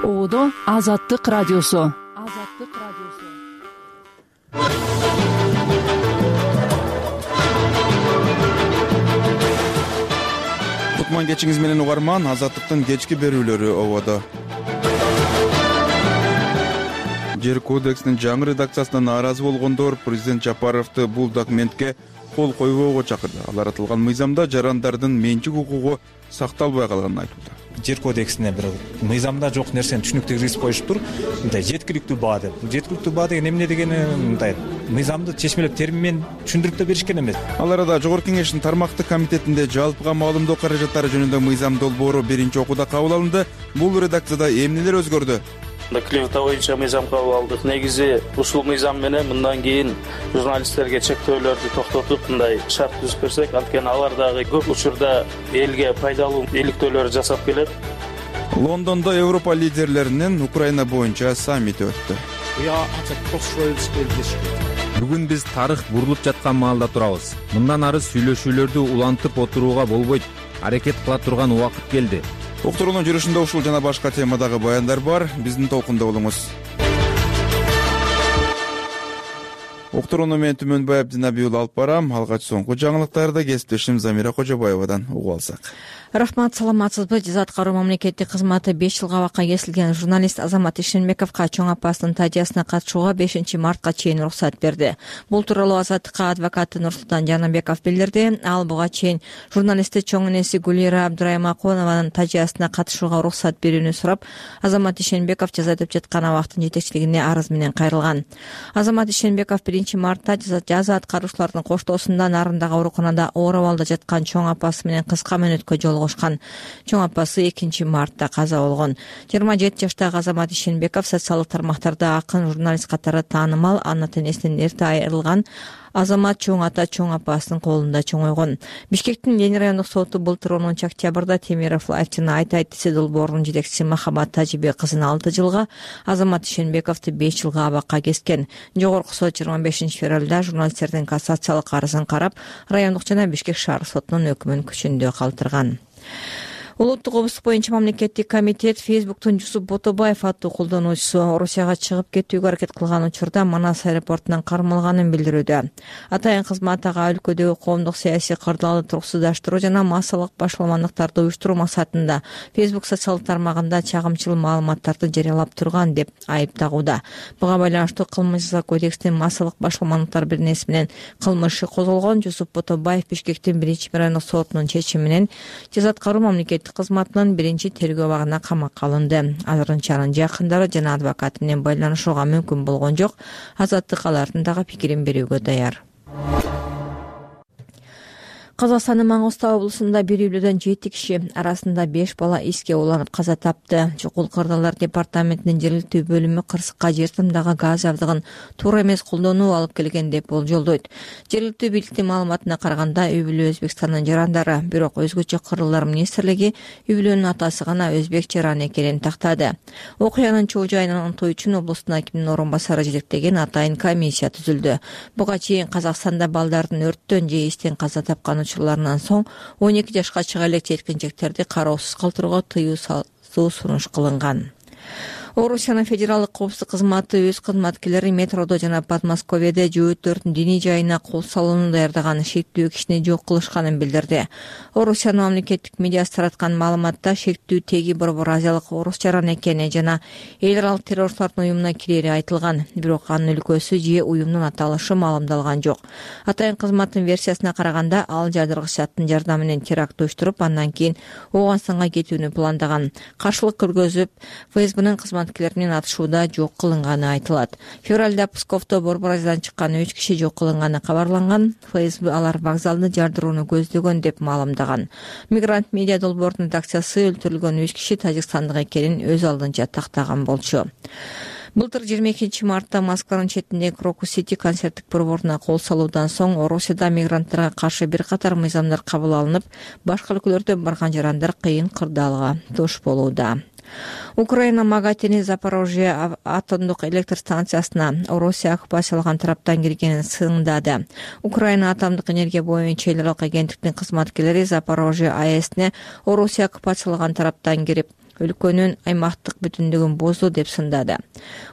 Оодо Азаттык радиосу. Кутман кечиңиз менен угарман. Азаттыктын кечки берүүлөрү ободо. Жер кодексинин жаңы редакциясына нааразы болгондор президент Жапаровду бул документке кол койбоого чакырды. Алар атылган мыйзамда жарандардын менчик укугу сакталбай калганын айтууда. Жер кодексине бир мыйзамда жок нерсени түшүнүктүү киргизип коюшуптур. Мындай жеткиликтүү баа деп. Жеткиликтүү баа деген эмне дегени, мындай мыйзамды чечмелеп термин менен түшүндүрүп да беришкен эмес. Ал арада Жогорку Кеңештин тармактык комитетинде жалпыга маалымдоо каражаттары жөнүндө мыйзам долбоору биринчи окууда кабыл алынды. Бул редакцияда эмнелер өзгөрдү? Клевета боюнча мыйзам кабыл алдык. Негизи ушул мыйзам менен мындан кийин журналисттерге чектөөлөрдү токтотуп, мындай шарт түзүп берсек, анткени алар дагы көп учурда элге пайдалуу иликтөөлөр жасап келет. Лондондо Европа лидерлеринин Украина боюнча саммити өттү. Бүгүн биз тарых бурулуп жаткан маалда турабыз. Мындан ары сүйлөшүүлөрдү улантып отурууга болбойт. Аракет кыла турган убакыт келди. Уктуруунун жүрүшүндө ушул жана башка темадагы баяндар бар. Биздин толкунда болуңуз. Уктурууну мен Түмөнбай Абдинабий уулу алып барам. Алгач соңку жаңылыктарды кесиптешим Замира Кожобаевадан угуп алсак. Рахмат, саламатсызбы? Жаза аткаруу мамлекеттик кызматы 5 жылга абакка кесилген журналист Азамат Ишенбековго чоң апасынын тажыясына катышууга 5 мартка чейин уруксат берди. Бул тууралуу Азаттыкка адвокаты Нурсултан Жанабеков билдирди. Ал буга чейин журналистти чоң энеси Гулира Абдураймакунованын тажыясына катышууга уруксат берүүнү сурап, Азамат Ишенбеков жаза өтөп жаткан абактын жетекчилигине арыз менен кайрылган. Азамат Ишенбеков 1 мартта жаза аткаруучулардын коштоосунда Нарындагы ооруканада оор абалда жаткан чоң апасы менен кыска мөөнөткө жолугушкан. Чоң апасы 2 мартта каза болгон. 27 жаштагы Азамат Ишенбеков социалдык тармактарда акын журналист катары таанымал, ана тенесинен эрте айрылган Азамат чоң ата чоң апасынын колунда чоңойгон. Бишкектин Ленин райондук соту былтыр 10 октябрда Темиров Лайфтын Айт десе долбоорунун жетекчиси Махабат Тажибек кызын 6 жылга, Азамат Ишенбековду 5 жылга абакка кескен. Жогорку сот 25 февралда журналисттердин кассациялык арызын карап, райондук жана Бишкек шаар сотунун өкүмүн күчүндө калтырган. Улуттук обуздук боюнча мамлекеттик комитет Фейсбуктун Жусуп Ботобаев аттуу колдонуучусу Орусияга чыгып кетүүгө аракет кылган учурда Манас аэропортунан кармалганын билдирүүдө. Атайын кызмат ага өлкөдөгү коомдук саясий кырдаалды туруксуздаштыруу жана массалык башаламандыктарды уюштуруу максатында Фейсбук социалдык тармагында чагымчыл маалыматтарды жарыялап турган деп айыптагууда. Буга байланыштуу Кылмыш кодекстин массалык башаламандыктар бирнеси менен кылмышы козголгон. Жусуп Ботобаев Бишкектин 1 райондук сотунун чечими менен жаза аткаруу мамлекеттик кызматынын 1-тергөө абагына камакка алынды. Азырынча анын жакындары жана адвокаты менен байланышууга мүмкүн болгон жок. Азаттык алардын дагы пикирин берүүгө даяр. Казакстандын Маңгыстау облусунда бир үйлөдөн 7 киши, арасында 5 бала иске уланып каза тапты. Чукул кырдаалдар департаментинин жергиликтүү бөлүмү кырсыкка жер тымдагы газ жабдыгын туура эмес колдонуу алып келген деп болжолдойт. Жергиликтүү бийликтин маалыматына караганда үй бүлө Өзбекстандын жарандары, бирок өзгөчө кырдаалдар министрлиги үй бүлөнүн атасы гана өзбек жаран экенин тактады. Окуянын чоо жайын аныктоо үчүн облустун акиминин орун басары жетектеген атайын комиссия түзүлдү. Буга чейин Казакстанда балдардын өрттөн же истен каза тапкан учурларынан соң 12 жашка чыга элек жеткинжектерди кароосуз калтырууга тыюу сунуш кылынган. Орусиянын федералдык коопсуздук кызматы өз кызматкерлери метродо жана Подмосковьеде жөөттөрдүн диний жайына кол салууну даярдаган шектүү кишини жок кылышканын билдирди. Орусиянын мамлекеттик медиасы тараткан маалыматта шектүү теги борбор азиялык орус жаран экени жана эл аралык террористтардын уюмуна кирери айтылган. Бирок анын өлкөсү же уюмдун аталышы маалымдалган жок. Атайын кызматтын версиясына караганда ал жадыргыч заттын жардамы менен теракт уюштуруп, андан кийин Ооганстанга кетүүнү пландаган. Каршылык көргөзүп, ФСБнын кызматкерлеринин атышууда жок кылынганы айтылат. Февралда Псковдо борбор азиядан чыккан 3 киши жок кылынганы кабарланган. ФСБ алар вокзалды жардырууну көздөгөн деп маалымдаган. Мигрант медиа долбоордун редакциясы өлтүрүлгөн 3 киши тажикстандык экенин өз алдынча тактаган болчу. Былтыр 22 мартта Москванын четиндеги Крокус Сити концерттик борборуна кол салуудан соң Орусияда мигранттарга каршы бир катар мыйзамдар кабыл алынып, башка өлкөлөрдөн барган жарандар кыйын кырдаалга туш болууда. Украина Магатини Запорожье атомдук электр станциясына Орусия оккупацияланган тараптан киргенин сындады. Украина атомдук энергия боюнча эл аралык агенттиктин кызматкерлери Запорожье АЭСине Орусия оккупацияланган тараптан кирип, өлкөнүн аймактык бүтүндүгүн бузду деп сындады.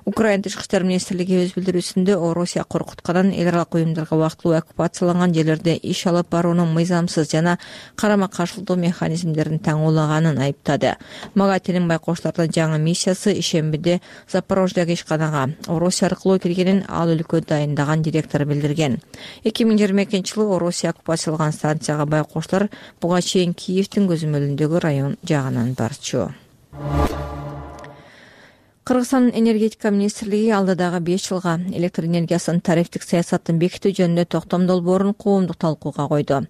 Украина тышкы иштер министрлиги өз билдирүүсүндө Орусия коркутканын эл аралык уюмдарга убактылуу оккупацияланган жерлерде иш алып баруунун мыйзамсыз жана карама каршылык механизмдерин таңуулаганын айыптады. Магатинин байкоочулардын жаңы миссиясы ишембиде Запорождогу ишканага Орусия аркылуу киргенин ал өлкө дайындаган директор билдирген. 2022-жылы Орусия оккупацияланган станцияга байкоочулар буга чейин Киевдин көзөмөлүндөгү район жагынан барчу. Кыргызстандын энергетика министрлиги алдыдагы 5 жылга электр энергиясынын тарифтик саясатын бекитүү жөнүндө токтом долбоорун коомдук талкууга койду.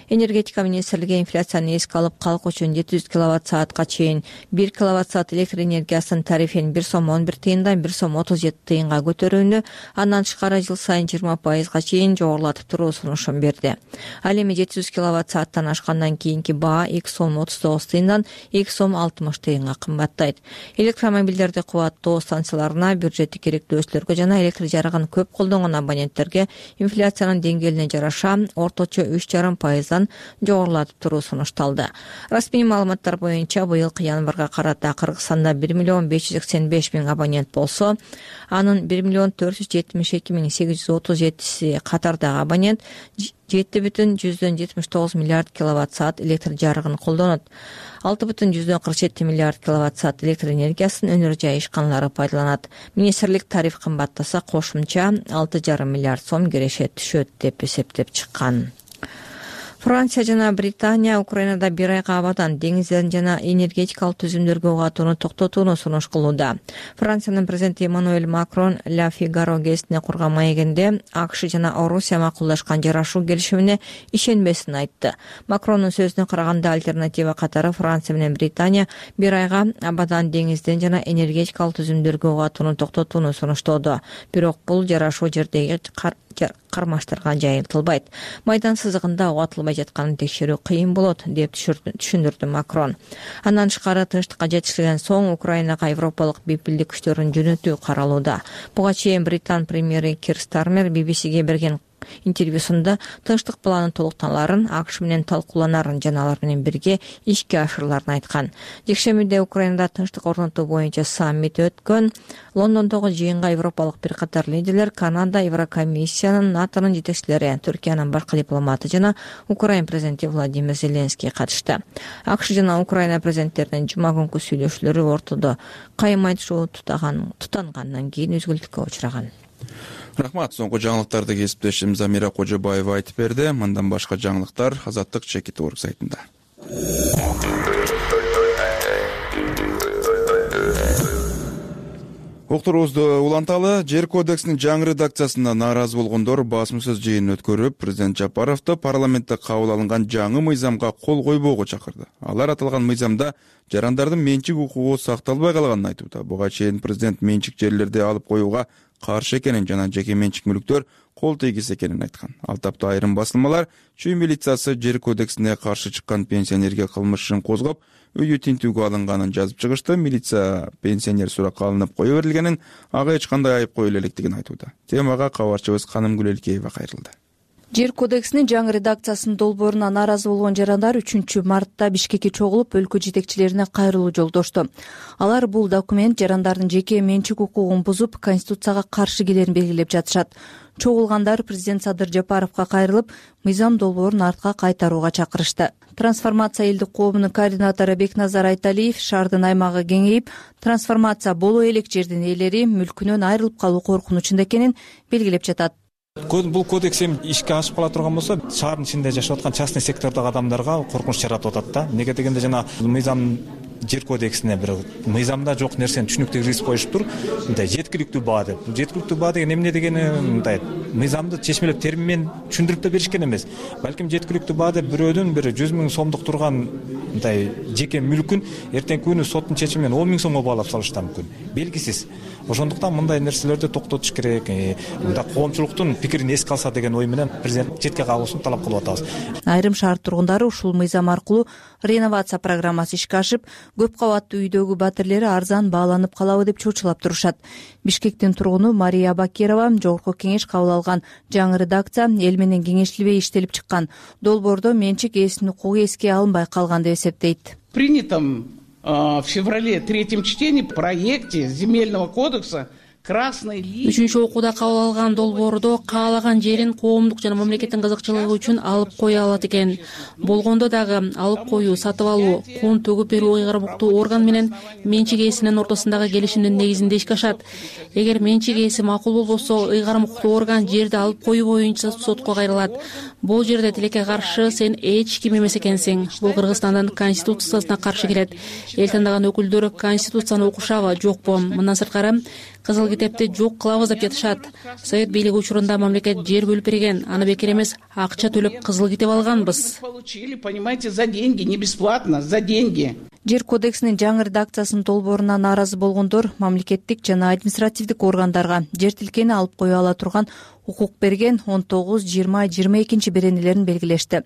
Энергетика министрлиги инфляцияны эске алып, калк үчүн 700 киловатт-саатка чейин 1 киловатт-саат электр энергиясынын тарифин 1 сом 11 тыйындан 1 сом 37 тыйынга көтөрүүнү, андан тышкары жыл сайын 20% чейин жогорулатып туруу сунушун берди. Ал эми 700 киловатт-сааттан ашкандан кийинки баа 2 сом 39 тыйындан 2 сом 60 тыйынга кымбаттайт. Электромобилдерди станцияларына, бюджеттик керектөөчүлөргө жана электр жарыгын көп колдонгон абоненттерге инфляциянын деңгээлине жараша орточо 3,5%дан жогорулатып туруу сунушталды. Расмий маалыматтар боюнча быйылкы январга карата Кыргызстанда 1,585,000 абонент болсо, анын 1,472,837 катардагы абонент 7,79 миллиард киловатт-саат электр жарыгын колдонот. 6,47 миллиард киловатт-саат электр энергиясын өнөр жай ишканалары пайдаланат. Министрлик тариф кымбаттаса кошумча 6,5 миллиард сом киреше түшөт деп эсептеп чыккан. Франция жана Британия Украинада 1 айга абадан деңиздерин жана энергетикалык түзүмдөргө угатууну токтотууну сунуш кылууда. Франциянын президенти Эммануэль Макрон Ла Фигаро гезитине курган маегинде АКШ жана Орусия макулдашкан жарашуу келишимине ишенбесин айтты. Макрондун сөзүнө караганда, альтернатива катары Франция менен Британия 1 айга абадан деңизден жана энергетикалык түзүмдөргө угатууну токтотууну сунуштоодо. Бирок бул жарашуу жердеги кармаштарга жайылтылбайт. Майдан сызыгында угатылбай жатканын текшерүү кыйын болот деп түшүндүрдү Макрон. Андан тышкары тынчтыкка жетишилген соң Украинага европалык бепилдик күчтөрүн жөнөтүү каралууда. Буга чейин Британ премьери Кир Стармер BBC-ге берген интервьюсунда тынчтык планын толуктаналарын, АКШ менен талкууланарын жана алар менен бирге ишке ашырыларын айткан. Жекшембиде Украинада тынчтык орнотуу боюнча саммит өткөн. Лондондогу жыйынга европалык бир катар лидерлер, Канада, Еврокомиссиянын, НАТОнун жетекчилери, Түркиянын башка дипломаты жана Украина президенти Владимир Зеленский катышты. АКШ жана Украина президенттеринин жума күнкү сүйлөшүүлөрү ортодо кайым айтышуу тутангандан кийин үзгүлтүккө учураган. Рахмат. Соңку жаңылыктарды кесиптешим Замира Кожобаева айтып берди. Мындан башка жаңылыктар Азаттык чекит орг сайтында. Уктуруубузду уланталы. Жер кодексинин жаңы редакциясына нааразы болгондор басма-сөз жыйынын өткөрүп, президент Жапаровду парламентте кабыл алынган жаңы мыйзамга кол койбоого чакырды. Алар аталган мыйзамда жарандардын менчик укугу сакталбай калганын айтууда. Буга чейин президент менчик жерлерди алып коюуга каршы экенин жана жеке менчик мүлктөр кол тийгиз экенин айткан. Ал тапта айрым басылмалар чүй милициясы жер кодексине каршы чыккан пенсионерге кылмыш ишин козгоп, үйү тинтүүгө алынганын жазып чыгышты. Милиция пенсионер суракка алынып кое берилгенин, ага эч кандай айып коюла электигин айтууда. Темага кабарчыбыз Канымгүл Элкеева кайрылды. Жер кодексинин жаңы редакциясынын долбооруна нааразы болгон жарандар 3 мартта Бишкекке чогулуп, өлкө жетекчилерине кайрылуу жолдошту. Алар бул документ жарандардын жеке менчик укугун бузуп, конституцияга каршы келерин белгилеп жатышат. Чогулгандар президент Садыр Жапаровго кайрылып, мыйзам долбоорун артка кайтарууга чакырышты. Трансформация элдик коомунун координатору Бекназар Айталиев шаардын аймагы кеңейип, трансформация боло элек жердин ээлери мүлкүнөн айрылып калуу коркунучунда экенин белгилеп жатат. Бул кодекс ишке ашып кала турган болсо, шаардын ичинде жашап аткан частный сектордогу адамдарга коркунуч жаратып атат да. Неге дегенде жана мыйзам жер кодексине бир мыйзамда жок нерсени түшүнүктүү киргизип коюшуптур. Мындай жеткиликтүү баа деп. Жеткиликтүү баа деген эмне дегени, мындай мыйзамды чечмелеп термин менен түшүндүрүп да беришкен эмес. Балким жеткиликтүү баа деп бирөөдүн бир 100 000 сомдук турган мындай жеке мүлкүн эртеңки күнү соттун чечими менен 10 000 сомго баалап салышы да мүмкүн. Белгисиз. Ошондуктан мындай нерселерди токтотуш керек. Мында коомчулуктун пикирин эске алса деген ой менен президент четке кагуусун талап кылып атабыз. Айрым шаар тургундары ушул мыйзам аркылуу реновация программасы ишке ашып, көп кабаттуу үйдөгү батирлери арзан бааланып калабы деп чурчулап турушат. Бишкектин тургуну Мария Бакирова жогорку кеңеш кабыл алган жаңы редакция эл менен кеңешилбей иштелип чыккан. Долбоордо менчик ээсинин укугу эске алынбай калган деп эсептейт. Принятом в феврале третьем чтении в проекте земельного кодекса красной линии. Үчүнчү окууда кабыл алган долбоордо каалаган жерин коомдук жана мамлекеттин кызыкчылыгы үчүн алып кое алат экен. Болгондо дагы алып коюу, сатып алуу, кун төгүп берүү ыйгарымдуу орган менен менчик ээсинин ортосундагы келишимдин негизинде ишке ашат. Эгер менчик ээси макул болбосо, ыйгарым укуктуу орган жерди алып коюу боюнча сотко кайрылат. Бул жерде тилекке каршы сен эч ким эмес экенсиң. Бул Кыргызстандын конституциясына каршы келет. Эл тандаган өкүлдөр конституцияны окушабы, жокпу? Мындан сырткары Кызыл китепти жок кылабыз деп жатышат. Совет бийлиги учурунда мамлекет жер бөлүп берген, аны бекер эмес акча төлөп кызыл китеп алганбыз. Получили, понимаете, за деньги, не бесплатно, за деньги. Жер кодексинин жаңы редакциясынын долбооруна нааразы болгондор мамлекеттик жана административдик органдарга жер тилкени алып кое ала турган укук берген 19, 20, 22 беренелерин белгилешти.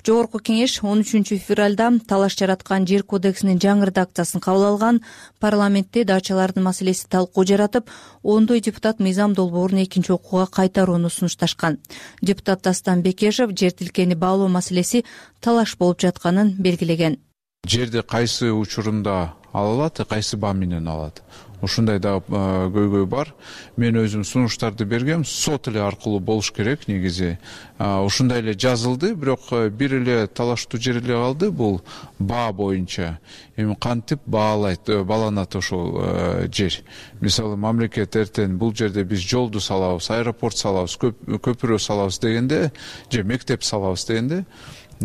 Жогорку кеңеш 13 февралда талаш жараткан жер кодексинин жаңы редакциясын кабыл алган. Парламентте дачалардын маселеси талкуу жаратып, ондой депутат мыйзам долбоорун экинчи окууга кайтарууну сунушташкан. Депутат Дастан Бекешев жер тилкени баалоо маселеси талаш болуп жатканын белгилеген. Жерди кайсы учурунда ала алат, кайсы баа менен алат. Ушундай да көйгөй бар. Мен өзүм сунуштарды бергем, сот эле аркылуу болуш керек негизи. Ушундай эле жазылды, бирок бир эле талаштуу жер эле калды, бул баа боюнча. Эми кантип бааланат ошол жер? Мисалы, мамлекет эртең бул жерде биз жолду салабыз, аэропорт салабыз, көпүрө салабыз дегенде, же мектеп салабыз дегенде,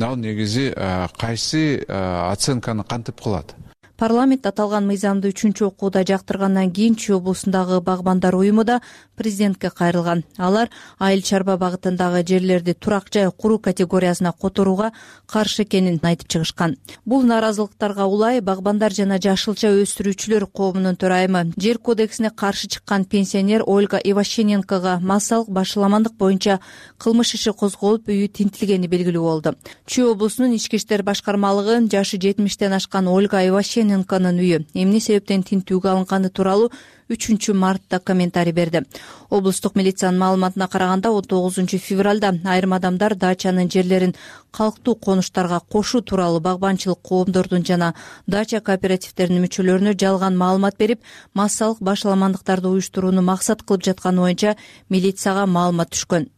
ал негизи кайсы оценканы кантип кылат? Парламент аталган мыйзамды 3 окууда жактыргандан кийин Чүй облусундагы багбандар уюму да президентке кайрылган. Алар айыл чарба багытындагы жерлерди турак жай куруу категориясына которууга каршы экенин айтып чыгышкан. Бул нааразылыктарга улай багбандар жана жашылча өстүрүүчүлөр коомунун төрайымы, жер кодексине каршы чыккан пенсионер Ольга Иващененкога массалык башаламандык боюнча кылмыш иши козголуп, үйү тинтилгени белгилүү болду. Чүй облусунун ички иштер башкармалыгы жашы 70-тен ашкан Ольга Иващененконун үйү эмне себептен тинтүүгө алынганы тууралуу 3 мартта комментарий берди. Облустук милициянын маалыматына караганда 19 февралда айрым адамдар дачанын жерлерин калктуу конуштарга кошуу тууралуу багбанчылык коомдордун жана дача кооперативдеринин мүчөлөрүнө жалган маалымат берип, массалык башаламандыктарды уюштурууну максат кылып жатканы боюнча милицияга маалымат түшкөн.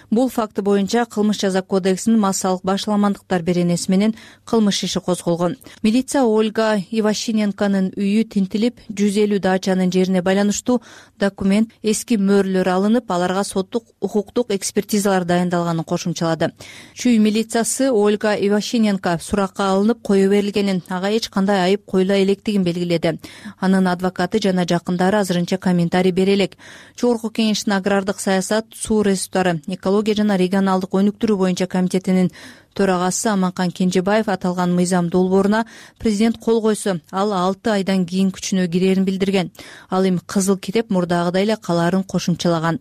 Бул факты боюнча кылмыш жаза кодексинин массалык башаламандыктар беренеси менен кылмыш иши козголгон. Милиция Ольга Иващененконун үйү тинтилип, 150 дачанын жерине байланыштуу документ, эски мөөрлөр алынып, аларга соттук укуктук экспертизалар дайындалганын кошумчалады. Чүй милициясы Ольга Иващененко суракка алынып кое берилгенин, ага эч кандай айып коюла электигин белгиледи. Анын адвокаты жана жакындары азырынча комментарий бере элек. Жогорку кеңештин агрардык саясат, суу ресурстары, экология жана регионалдык өнүктүрүү боюнча комитетинин төрагасы Аманкан Кенжебаев аталган мыйзам долбооруна президент кол койсо, ал 6 айдан кийин күчүнө кирерин билдирген. Ал эми кызыл китеп мурдагыдай эле калаарын кошумчалаган.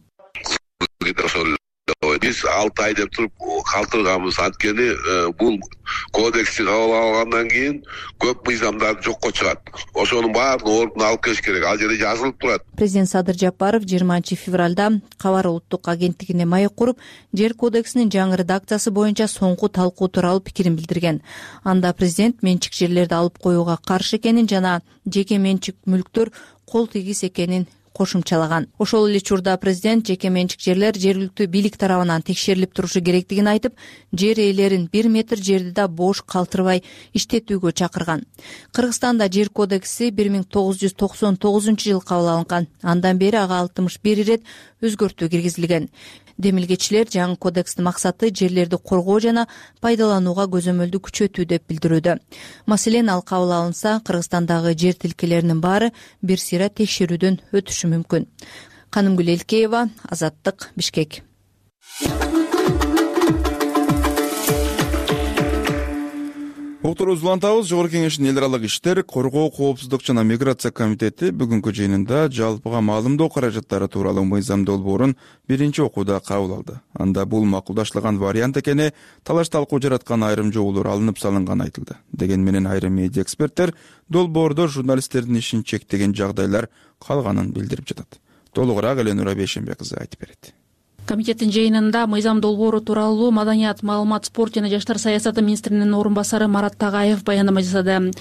Биз 6 ай деп туруп калтырганбыз. Анткени бул кодексти кабыл алгандан кийин көп мыйзамдар жокко чыгат. Ошонун баарын ордуна алып келиш керек. Ал жерде жазылып турат. Президент Садыр Жапаров 20 февралда Кабар улуттук агенттигине маек куруп, жер кодексинин жаңы редакциясы боюнча соңку талкуу тууралуу пикирин билдирген. Анда президент менчик жерлерди алып коюуга каршы экенин жана жеке менчик мүлктөр кол тийгис экенин кошумчалаган. Ошол эле учурда президент жеке менчик жерлер жергиликтүү бийлик тарабынан текшерилип турушу керектигин айтып, жер ээлерин 1 метр жерди да бош калтырбай иштетүүгө чакырган. Кыргызстанда жер кодекси 1999-жылы кабыл алынган. Андан бери ага 61 ирет өзгөртүү киргизилген. Демилгечилер жаңы кодекстин максаты жерлерди коргоо жана пайдаланууга көзөмөлдү күчөтүү деп билдирүүдө. Маселен, ал кабыл алынса, Кыргызстандагы жер тилкелеринин баары бир сыйра текшерүүдөн өтүшү мүмкүн. Канымгүл Элкеева, Азаттык, Бишкек. Уктурубузду улантабыз. Жогорку кеңештин эл аралык иштер, коргоо, коопсуздук жана миграция комитети бүгүнкү жыйынында жалпыга маалымдоо каражаттары тууралуу мыйзам долбоорун биринчи окууда кабыл алды. Анда бул макулдашылган вариант экени, талаш талкуу жараткан айрым жоболор алынып салынганы айтылды. Деген менен айрым медиа эксперттер долбоордо журналисттердин ишин чектеген жагдайлар калганын билдирип жатат. Толугураак Эленура Бейшембек кызы айтып берет. Комитеттин жыйынында мыйзам долбоору тууралуу маданият, маалымат, спорт жана жаштар саясаты министринин орун басары Марат Тагаев баяндама жасады.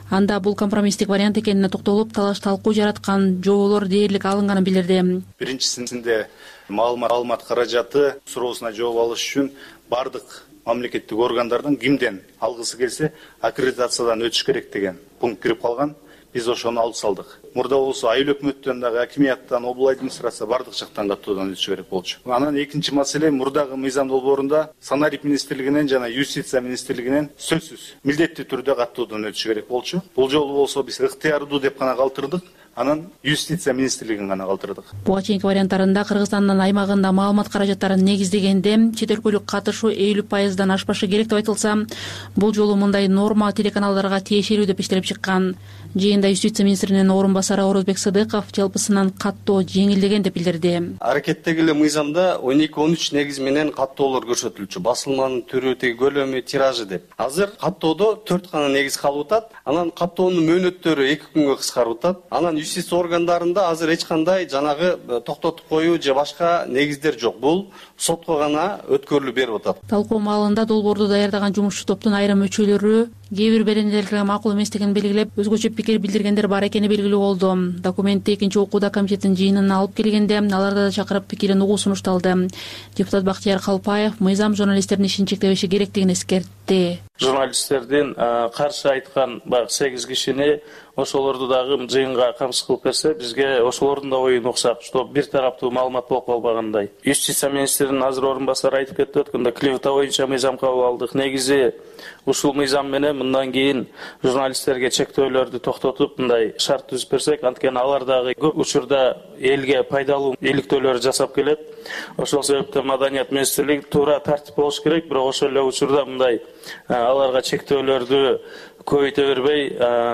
Анда бул компромисстик вариант экенине токтолуп, талаш талкуу жараткан жоболор дээрлик алынганын билдирди. Биринчисинде маалымат каражаты суроосуна жооп алыш үчүн бардык мамлекеттик органдардан кимден алгысы келсе аккредитациядан өтүш керек деген пункт кирип калган. Биз ошону алып салдык. Мурда болсо айыл өкмөттөн дагы, акимияттан, облуу администрация бардык жактан каттоодон өтүш керек болчу. Анан экинчи маселе, мурдагы мыйзам долбоорунда санарик министрлигинен жана юстиция министрлигинен сөзсүз милдеттүү түрдө каттоодон өтүш керек болчу. Бул жолу болсо биз ыктыярдуу деп гана калтырдык. Анан юстиция министрлигин гана калтырдык. Буга чейинки варианттарында Кыргызстандын аймагында маалымат каражаттарын негиздегенде чет өлкөлүк катышуу 50% ашпашы керек деп айтылса, бул жолу мындай норма телеканалдарга тиешелүү деп иштелип чыккан. Жыйында юстиция министринин орун басары Орозбек Сыдыков жалпысынан каттоо жеңилдеген деп билдирди. Аракеттеги эле мыйзамда 12-13 негиз менен каттоолор көрсөтүлчү. Басылманын түрү, көлөмү, тиражы деп. Азыр каттоодо 4 гана негиз калып атат. Анан каттоонун мөөнөттөрү 2 күнгө кыскарып атат. Анан юстиция органдарында азыр эч кандай жанагы токтотуп коюу же башка негиздер жок. Бул сотко гана өткөрүлүп берип атат. Талкуу маалында долбоорду даярдаган жумушчу топтун айрым мүчөлөрү кээ бир беренелерге макул эместигин белгилеп, өзгөчө пикир билдиргендер бар экени белгилүү болду. Документти экинчи окууда комитеттин жыйынына алып келгенде аларда да чакырып пикирин угуу сунушталды. Депутат Бактияр Калпаев мыйзам журналисттердин ишин чектебеши керектигин эскертти. Журналисттердин каршы айткан 8 кишини ошолорду дагы жыйынга камсыз кылып берсе, бизге ошолордун да оюн уксак, что бир тараптуу маалымат болуп калбагандай. Юстиция министринин азыр орун басары айтып кетти өткөндө, клевета боюнча мыйзам кабыл алдык. Негизи ушул мыйзам менен мындан кийин журналисттерге чектөөлөрдү токтотуп, мындай шарт түзүп берсек, анткени алар дагы көп учурда элге пайдалуу иликтөөлөр жасап келет. Ошол себептен Маданият министрлиги туура тартип болуш керек, бирок ошол эле учурда мындай аларга чектөөлөрдү көбөйтө бербей,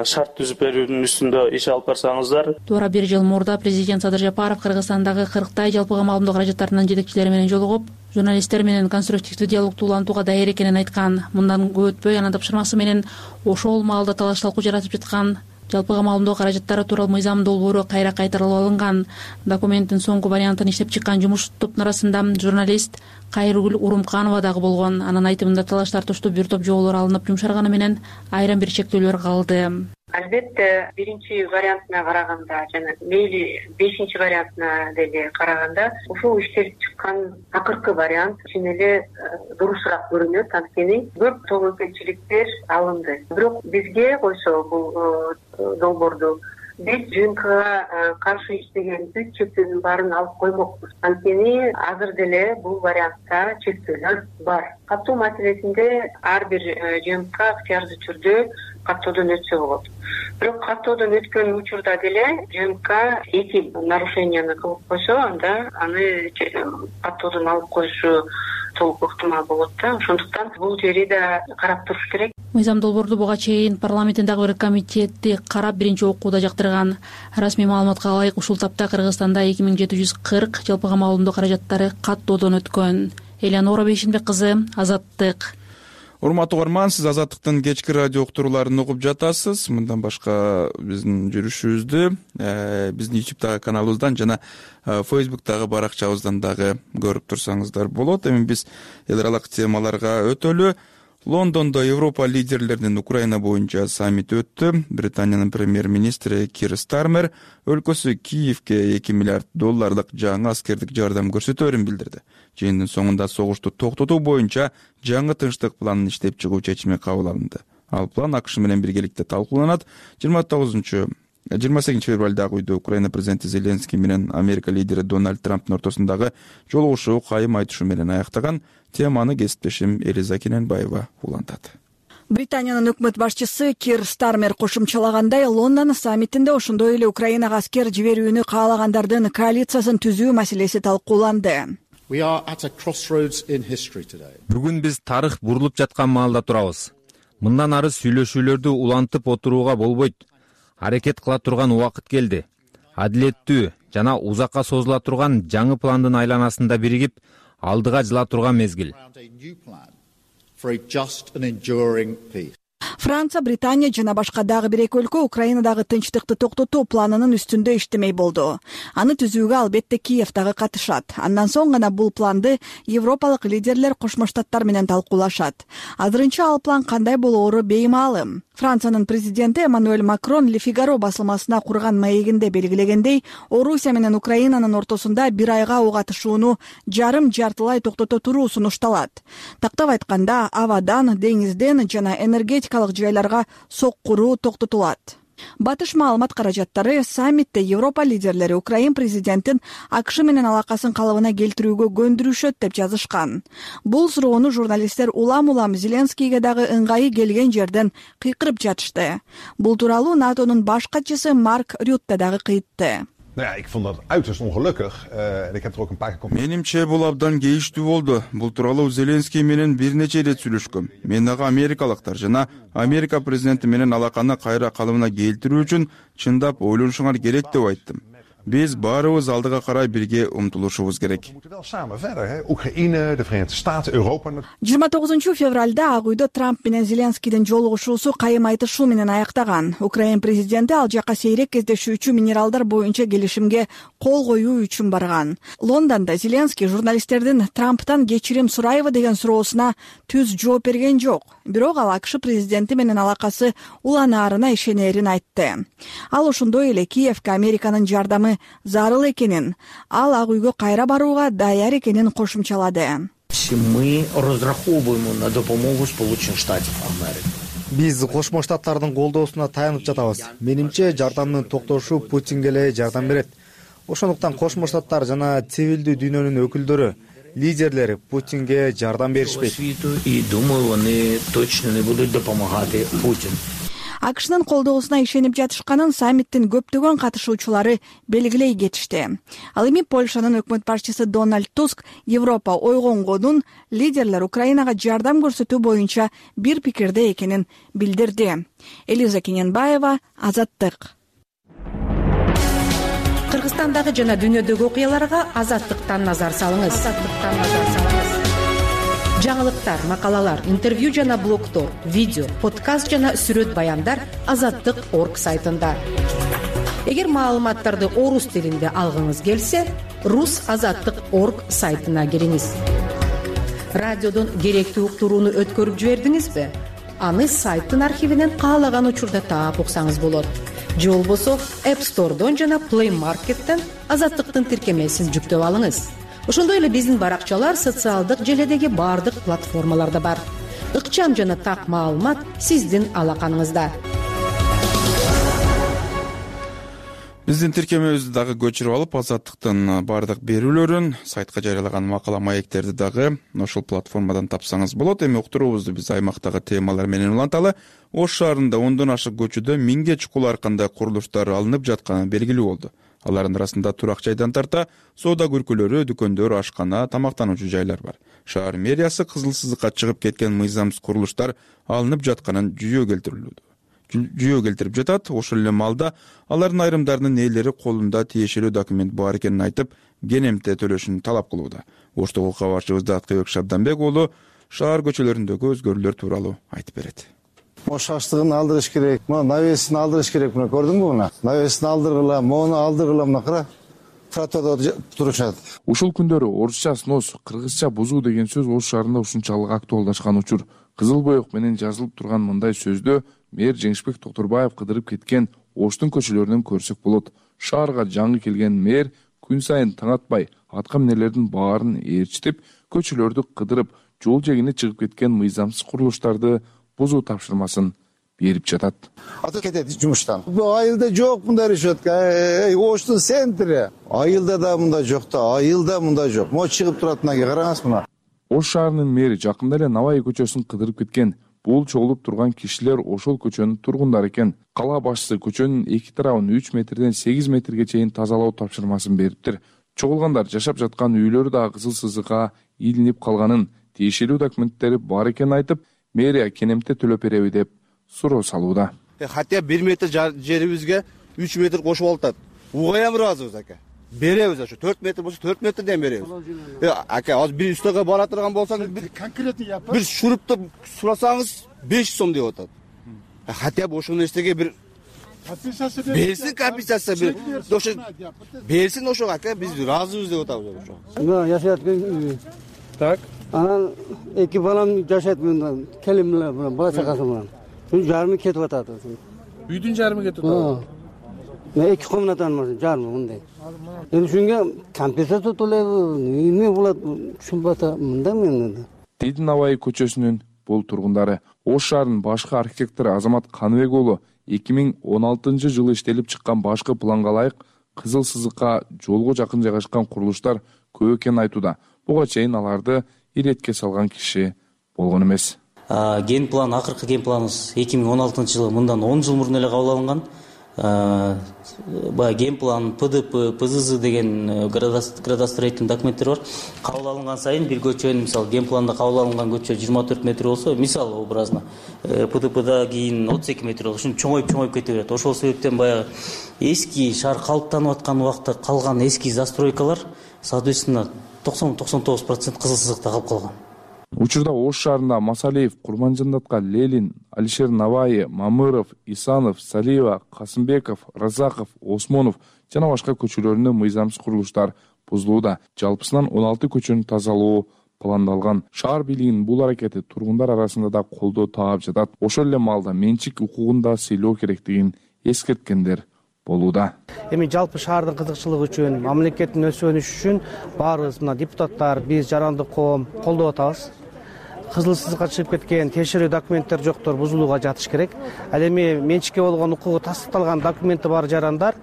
шарт түзүп берүүнүн үстүндө иш алып барсаңыздар. Туура бир жыл мурда президент Садыр Жапаров Кыргызстандагы 40 жалпыга маалымдоо каражаттарынын жетекчилери менен жолугуп, журналисттер менен конструктивдүү диалогду улантууга даяр экенин айткан. Мындан көп өтпөй анын тапшырмасы менен ошол маалда талаш талкуу жаратып жаткан жалпыга маалымдоо каражаттары тууралуу мыйзам долбоору кайра кайтарылып алынган. Документтин соңку вариантын иштеп чыккан жумуш топтун арасында журналист Кайрыгүл Урумканова дагы болгон. Анын айтымында талаш тартыштуу бир топ жоболор алынып жумшарганы менен айрым бир чектөөлөр калды. Албетте, биринчи вариантына караганда жана мейли 5-чи вариантына деле караганда ушул иштелип чыккан акыркы вариант чын эле дурусураак көрүнөт, анткени көп тобокелчиликтер алынды. Бирок бизге койсо бул долбоорду биз ЖНКга каршы иштеген 3 чектөөнүн баарын алып коймокпуз. Анткени азыр деле бул вариантта чектөөлөр бар. Каттоо маселесинде ар бир ЖНК ыктыярдуу түрдө каттоодон өтсө болот. Бирок каттоодон өткөн учурда деле ЖНК эки нарушенияны кылып койсо, анда аны каттоодон алып коюшу толук ыктымал болот да. Ошондуктан бул жери да карап туруш керек. Мыйзам долбоорду буга чейин парламенттин дагы бир комитети карап биринчи окууда жактырган. Расмий маалыматка ылайык ушул тапта Кыргызстанда 2740 жалпыга маалымдоо каражаттары каттоодон өткөн. Элеонора Бейшенбек кызы, Азаттык. Урматтуу угарман, сиз Азаттыктын кечки радио уктурууларын угуп жатасыз. Мындан башка биздин жүрүшүбүздү биздин YouTube каналыбыздан жана Facebook'тагы баракчабыздан дагы көрүп турсаңыздар болот. Эми биз эл аралык темаларга өтөлү. Лондондо Европа лидерлеринин Украина боюнча саммити өттү. Британиянын премьер-министри Кир Стармер өлкөсү Киевке $2 миллиард жаңы аскердик жардам көрсөтөөрүн билдирди. Жыйындын соңунда согушту токтотуу боюнча жаңы тынчтык планын иштеп чыгуу чечими кабыл алынды. Ал план АКШ менен биргеликте талкууланат. 28 февралдагы үйдө Украина президенти Зеленский менен Америка лидери Дональд Трамптын ортосундагы жолугушуу кайым айтышуу менен аяктаган. Теманы кесиптешим Элиза Кененбаева улантат. Британиянын өкмөт башчысы Кир Стармер кошумчалагандай, Лондон саммитинде ошондой эле Украинага аскер жиберүүнү каалагандардын коалициясын түзүү маселеси талкууланды. Бүгүн биз тарых бурулуп жаткан маалда турабыз. Мындан ары сүйлөшүүлөрдү улантып отурууга болбойт. Аракет кыла турган убакыт келди. Адилеттүү жана узакка созула турган жаңы пландын айланасында биригип, алдыга жыла турган мезгил. Франция, Британия жана башка дагы бир эки өлкө Украинадагы тынчтыкты токтотуу планынын үстүндө иштемей болду. Аны түзүүгө албетте Киев дагы катышат. Андан соң гана бул планды европалык лидерлер Кошмо Штаттар менен талкуулашат. Азырынча ал план кандай болоору беймаалым. Франциянын президенти Эммануэль Макрон Le Figaro басылмасына курган маегинде белгилегендей, Орусия менен Украинанын ортосунда бир айга ок атышууну жарым-жартылай токтото туруу сунушталат. Тактап айтканда, абадан, деңизден жана энергетикалык жайларга соккуруу токтотулат. Батыш маалымат каражаттары саммитте Европа лидерлери Украин президентин АКШ менен алакасын калыбына келтирүүгө көндүрүшөт деп жазышкан. Бул суроону журналисттер улам Зеленскийге дагы ыңгайы келген жерден кыйкырып жатышты. Бул тууралуу НАТОнун баш катчысы Марк Рютте дагы кыйтты. Ik vond dat uiterst ongelukkig en ik heb er ook een paar keer. Менимче бул абдан кейиштүү болду. Бул тууралуу Зеленский менен бир нече ирет сүйлөшкөм. Мен ага америкалыктар жана Америка президенти менен алаканы кайра калыбына келтирүү үчүн чындап ойлонушуңар керек деп айттым. Биз баарыбыз алдыга карай бирге умтулушубуз керек. 29 февралда Ак үйдө Трамп менен Зеленскийдин жолугушуусу кайым айтышуу менен аяктаган. Украин президенти ал жака сейрек кездешүүчү минералдар боюнча келишимге кол коюу үчүн барган. Лондондо Зеленский журналисттердин Трамптан кечирим сурайбы деген суроосуна түз жооп берген жок. Бирок ал АКШ президенти менен алакасы уланаарына ишенерин айтты. Ал ошондой эле Киевке Американын жардамы зарыл экенин, ал Ак үйгө кайра барууга даяр экенин кошумчалады. Мы разраховываем на допомогу Сполучених Штатов Америки. Биз Кошмо Штаттардын колдоосуна таянып жатабыз. Менимче, жардамдын токтошу Путинге эле жардам берет. Ошондуктан Кошмо Штаттар жана цивилдүү дүйнөнүн өкүлдөрү, лидерлери Путинге жардам беришпейт. И думаю, они точно не будут допомагать Путину. АКШнын колдоосуна ишенип жатышканын саммиттин көптөгөн катышуучулары белгилей кетишти. Ал эми Польшанын өкмөт башчысы Дональд Туск Европа ойгонгонун лидерлер Украинага жардам көрсөтүү боюнча бир пикирде экенин билдирди. Элиза Кененбаева, Азаттык. Кыргызстандагы жана дүйнөдөгү окуяларга Азаттыктан назар салыңыз. Жаңылыктар, макалалар, интервью жана блогдор, видео, подкаст жана сүрөт баяндар Азаттык.орг сайтында. Эгер маалыматтарды орус тилинде алгыңыз келсе, rusazаттык.орг сайтына кириңиз. Радиодон керектүү уктурууну өткөрүп жибердиңизби? Аны сайттын архивинен каалаган учурда таап уксаңыз болот. Же болбосо App Store'дон жана Play Market'тен Азаттыктын тиркемесин жүктөп алыңыз. Ошондой эле биздин баракчалар социалдык желедеги бардык платформаларда бар. Ыкчам жана так маалымат сиздин алаканыңызда. Биздин тиркемебизди дагы көчүрүп алып, Азаттыктын бардык берүүлөрүн, сайтка жарыялаган макала маектерди дагы ошол платформадан тапсаңыз болот. Эми уктуруубузду биз аймактагы темалар менен уланталы. Ош шаарында 10дон ашык көчөдө 1000ге чукул аркандай курулуштар алынып жатканы белгилүү болду. Алардын арасында турак жайдан тарта соода көркөлөрү, дүкөндөр, ашкана, тамактануучу жайлар бар. Шаар мэриясы кызыл сызыкка чыгып кеткен мыйзамсыз курулуштар алынып жатканын жүйө келтирип жатат. Ошол эле маалда алардын айрымдарынын ээлери колунда тиешелүү документ бар экенин айтып, кенемте төлөшүн талап кылууда. Оштогу кабарчыбыз Даткыбек Шабданбек уулу шаар көчөлөрүндөгү өзгөрүүлөр тууралуу айтып берет. Ош аштыгын алдырыш керек, навесин алдырыш керек. Мына көрдүңбү мына? Навесин алдыргыла, мону алдыргыла, мына кара. Тротуарда турушат. Ушул күндөрү орусча снос, кыргызча бузуу деген сөз Ош шаарында ушунчалык актуалдашкан учур. Кызыл боек менен жазылып турган мындай сөздө мэр Жеңишбек Токторбаев кыдырып кеткен Оштун көчөлөрүнөн көрсөк болот. Шаарга жаңы келген мэр күн сайын таң атпай атка минерлердин баарын ээрчитип, көчөлөрдү кыдырып, жол жегине чыгып кеткен мыйзамсыз курулуштарды бузуу тапшырмасын берип жатат. Аты кетет жумуштан. Айылда жок мындай решетка. Оштун центри. Айылда да мындай жок да, айылда мындай жок. Мо чыгып турат мына караңыз мына. Ош шаарынын мэри жакында эле Навай көчөсүн кыдырып кеткен. Бул чогулуп турган кишилер ошол көчөнүн тургундары экен. Кала башчысы көчөнүн эки тарабын 3 метрден 8 метрге чейин тазалоо тапшырмасын бериптир. Чогулгандар жашап жаткан үйлөрү да кызыл сызыкка илинип калганын, тиешелүү документтери бар экенин айтып, мэрия кенемте төлөп береби деп суроо салууда. Хотя 1 метр жерибизге 3 метр кошуп алат. Угаям ыраазыбыз ака. Беребиз ошо 4 метр болсо 4 метрден беребиз. Ака, азыр бир үстөгө бара турган болсоңуз конкретный япыр. Бир шурупты сурасаңыз 500 сом деп атат. Хотя бы ошол нерсеге бир компенсация берсин, компенсация бир. Ошо берсин ошо ака, биз ыраазыбыз деп атабыз ошо. Мына жашайт экен. Так. Анан эки балам жашайт мындан, келим менен, бала чакасы менен. жарымы кетип атат. Үйдүн жарымы кетип атат. 2 комнатанын жарымы мындай. Эми ушунга компенсация төлөйбү, эмне болот түшүнбөй атам мында мен. Тейдин Абай көчөсүнүн бул тургундары Ош шаарынын башкы архитектору Азамат Каныбек уулу 2016-жылы иштелип чыккан башкы планга ылайык кызыл сызыкка жолго жакын жайгашкан курулуштар көп экенин айтууда. Буга чейин аларды иретке салган киши болгон эмес. Ген план, акыркы ген планыбыз 2016-жылы мындан 10 жыл мурун эле кабыл алынган. Баягы ген план, ПДП, ПЗЗ деген градостроительный документтер бар. Кабыл алынган сайын бир көчөнүн, мисалы, ген планда кабыл алынган көчө 24 метр болсо, мисалы образно, ПДПда кийин 32 метр болсо, ушун чоңоюп кете берет. Ошол себептен баягы эски шаар калыптанып аткан убакта калган эски застройкалар, соответственно, 90-99% кызыл сызыкта калып калган. Учурда Ош шаарында Масалиев, Курманжандатка, Лелин, Алишер Наваи, Мамыров, Исанов, Салиева, Касымбеков, Разаков, Осмонов жана башка көчөлөрүндө мыйзамсыз курулуштар бузулууда. Жалпысынан 16 көчөнү тазалоо пландалган. Шаар бийлигинин бул аракети тургундар арасында да колдоо таап жатат. Ошол эле маалда менчик укугун да сыйлоо керектигин эскерткендер болууда. Эми жалпы шаардын кызыкчылыгы үчүн, мамлекеттин өсөнүшү үчүн баарыбыз мына депутаттар, биз жарандык коом колдоп атабыз. Кызыл сызыкка чыгып кеткен текшерүү документтер жоктор бузулууга жатыш керек. Ал эми менчикке болгон укугу тастыкталган документи бар жарандар,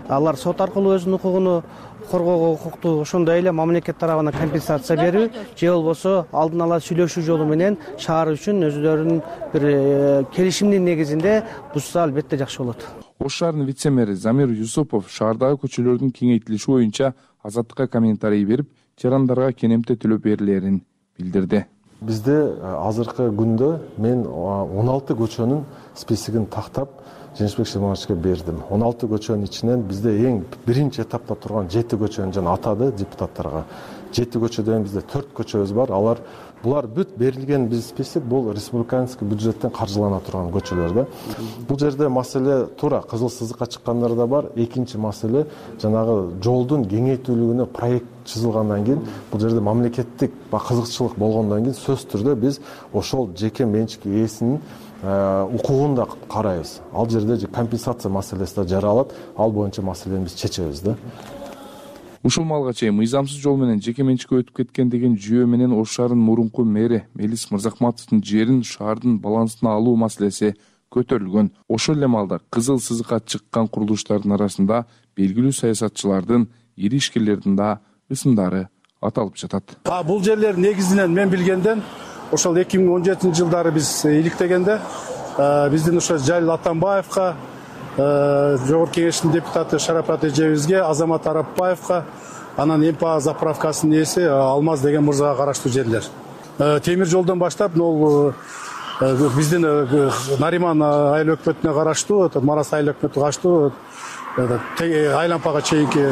алар сот аркылуу өзүнүн укугуну коргоого укуктуу. Ошондой эле мамлекет тарабынан компенсация берүү же болбосо алдын ала сүйлөшүү жолу менен шаар үчүн өзүлөрүнүн бир келишимдин негизинде бузса албетте жакшы болот. Ош шаарынын вице-мэри Замир Юсупов шаардагы көчөлөрдүн кеңейтилиши боюнча Азаттыкка комментарий берип, жарандарга кенемте төлөп берилерин билдирди. Бизде азыркы күндө мен 16 көчөнүн списигин тактап Женишбек Шимановичке бердим. 16 көчөнүн ичинен бизде эң биринчи этапта турган 7 көчөнү жана атады депутаттарга. 7 көчөдөн бизде 4 көчөбүз бар. Булар бүт берилген биз список бул республиканский бюджеттен каржылана турган көчөлөр да. Бул жерде маселе туура кызыл сызыкка чыккандар да бар. Экинчи маселе жанагы жолдун кеңейтүүлүгүнө проект чызылгандан кийин бул жерде мамлекеттик кызыкчылык болгондон кийин сөзсүз түрдө биз ошол жеке менчик ээсинин укугун да карайбыз. Ал жерде компенсация маселеси да жаралат. Ал боюнча маселени биз чечебиз да. Ушул малга чейин мыйзамсыз жол менен жеке менчикке өтүп кеткен деген жүйө менен Ош шаарынын мурунку мэри Мелис Мырзахматовдун жерин шаардын балансына алуу маселеси көтөрүлгөн. Ошол эле маалда кызыл сызыкка чыккан курулуштардын арасында белгилүү саясатчылардын, ири ишкерлердин да ысымдары аталып жатат. Бул жерлер негизинен мен билгенден ошол 2017-жылдары биз иликтегенде биздин ошо Жалил Атамбаевка, Жогорку кеңештин депутаты Шарапат эжебизге, Азамат Арапбаевка, анан МПА заправкасынын ээси Алмаз деген мырзага караштуу жерлер. Темир жолдон баштап бул биздин Нариман айыл өкмөтүнө караштуу, Марас айыл өкмөтүнө караштуу айлампага чейинки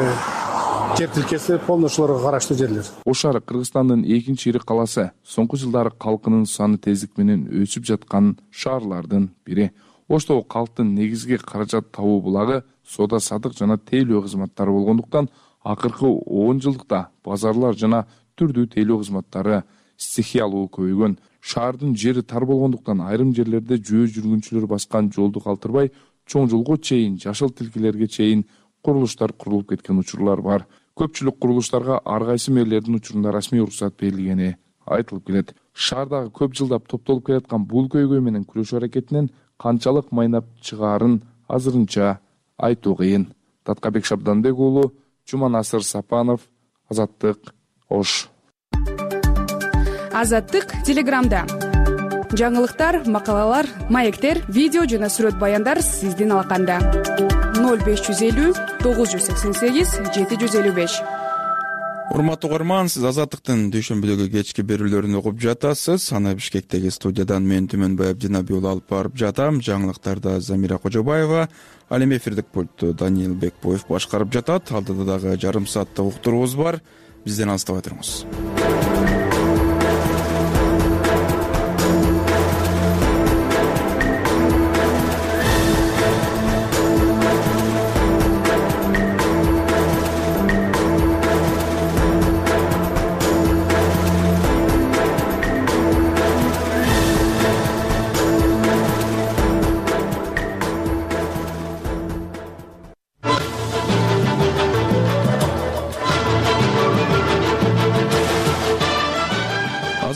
жер тилкеси полный ошолорго караштуу жерлер. Ош шаары Кыргызстандын экинчи ири каласы. Соңку жылдары калкынын саны тездик менен өсүп жаткан шаарлардын бири. Оштогу калктын негизги каражат табуу булагы соода садык жана тейлөө кызматтары болгондуктан акыркы 10 жылдыкта базарлар жана түрдүү тейлөө кызматтары стихиялуу көбөйгөн. Шаардын жери тар болгондуктан айрым жерлерде жөө жүргүнчүлөр баскан жолду калтырбай, чоң жолго чейин, жашыл тилкелерге чейин курулуштар курулуп кеткен учурлар бар. Көпчүлүк курулуштарга ар кайсы мэрлердин учурунда расмий уруксат берилгени айтылып келет. Шаардагы көп жылдап топтолуп келаткан бул көйгөй менен күрөшүү аракетинен канчалык майнап чыгаарын азырынча айтуу кыйын. Таткабек Шабданбек уулу, Жуманасыр Сапанов, Азаттык, Ош. Азаттык Телеграмда. Жаңылыктар, макалалар, маектер, видео жана сүрөт баяндар сиздин алаканда. 0550 988 755. Урматтуу угарман, сиз Азаттыктын дүйшөмбүдөгү кечки берүүлөрүн угуп жатасыз. Аны Бишкектеги студиядан мен Түмөнбай Абдинабий уулу алып барып жатам. Жаңылыктарда Замира Кожобаева, ал эми эфирдик пультту Даниил Бекбоев башкарып жатат. Алдыда дагы жарым сааттык уктуруубуз бар. Бизден алыстабай туруңуз.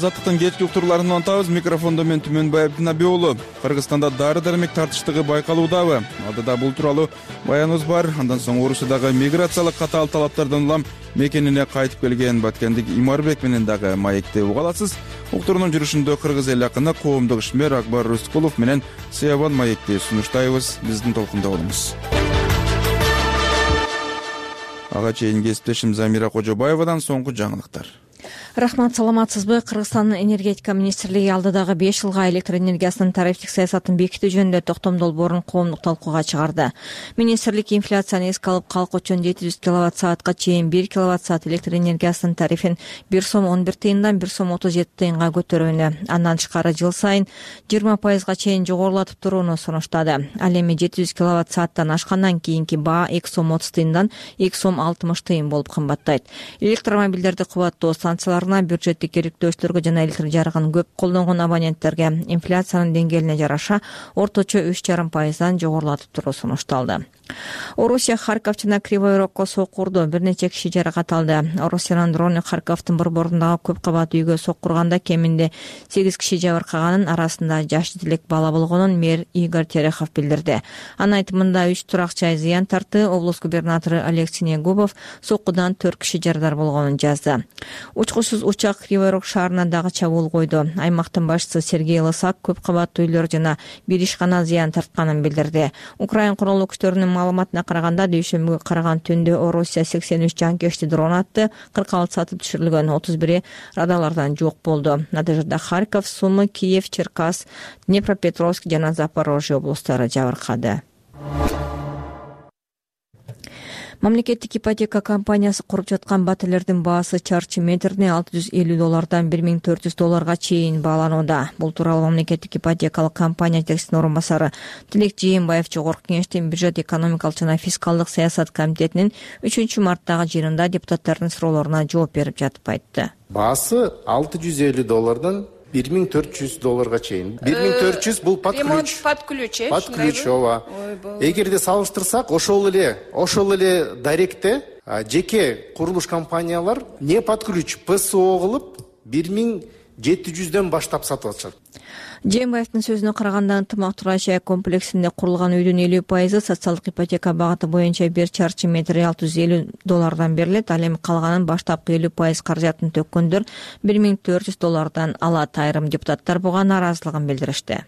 Азаттыктын кечки уктурларын улантабыз. Микрофондо мен Түмөнбай Абдинаби уулу. Кыргызстанда дары-дармек тартыштыгы байкалуудабы? Алдыда бул тууралуу баяныбыз бар. Андан соң Орусиядагы миграциялык катаал талаптардан улам мекенине кайтып келген Баткендик Имарбек менен дагы маекти уга аласыз. Уктурунун жүрүшүндө кыргыз эл акыны коомдук ишмер Акбар Рыскулов менен Сыябан маекти сунуштайбыз. Биздин толкунда болуңуз. Ага чейин кесиптешим Замира Кожобаевадан соңку жаңылыктар. Рахмат, саламатсызбы? Кыргызстандын энергетика министрлиги алдыдагы 5 жылга электр энергиясынын тарифтик саясатын бекитүү жөнүндө токтом долбоорун коомдук талкууга чыгарды. Министрлик инфляцияны эске алып, калк үчүн 700 киловатт-саатка чейин 1 киловатт-саат электр энергиясынын тарифин 1 сом 11 тыйындан 1 сом 37 тыйынга көтөрүүнү, андан тышкары жыл сайын 20% чейин жогорулатып турууну сунуштады. Ал эми 700 киловатт-сааттан ашкандан кийинки баа 2 сом 30 тыйындан 2 сом 60 тыйын болуп кымбаттайт. Электромобилдерди кубаттоо станцияларына, бюджеттик керектөөчүлөргө жана электр жарыгын көп колдонгон абоненттерге инфляциянын деңгээлине жараша орточо 3,5%дан жогорулатып туруу сунушталды. Орусия Харьков жана Кривой Рогко соккурду, бир нече киши жаракат алды. Орусиянын дрону Харьковдун борборундағы көп кабат үйгө соккурганда кеминде 8 киши жабыркаганын, арасында жаш жетелек бала болгонун мэр Игорь Терехов билдирди. Анын айтымында 3 турак жай зыян тартты. Облус губернатору Олег Синегубов соккудан 4 киши жарадар болгонун жазды. Учкусуз учак Кривой Рог шаарына дагы чабуул койду. Аймактын башчысы Сергей Лысак көп кабаттуу үйлөр жана бир ишкана зыян тартканын билдирди. Украин куралдуу күчтөрүнүн маалыматына караганда, дүйшөмбүгө караган түндө Орусия 83 жанкечти дрон атты, 46 сатып түшүрүлгөн, 31 радарlardan жок болду. Натыйжада Харьков, Сумы, Киев, Черкас, Днепропетровск жана Запорожье облустары жабыркады. Мамлекеттик ипотека компаниясы куруп жаткан батирлердин баасы чарчы метрине $650 $1400 чейин бааланууда. Бул тууралуу мамлекеттик ипотекалык компания жетекчисинин орун басары Тилек Жээнбаев Жогорку Кеңештин бюджет экономикалык жана фискалдык саясат комитетинин 3 марттагы жыйынында депутаттардын суроолоруна жооп берип жатып айтты. Баасы $650 $1400 чейин. 1400 бул под ключ. Под ключ, ооба. Эгерде салыштырсак, ошол эле даректе жеке курулуш компаниялар не под ключ ПСО кылып 1700дөн баштап сатып атышат. Жээнбаевдин сөзүнө караганда, ынтымак турай жай комплексинде курулган үйдүн 50% социалдык ипотека багыты боюнча 1 чарчы метри $650 берилет. Ал эми калганын баштапкы 50% каражатын төккөндөр $1400 алат. Айрым депутаттар буга нааразылыгын билдиришти.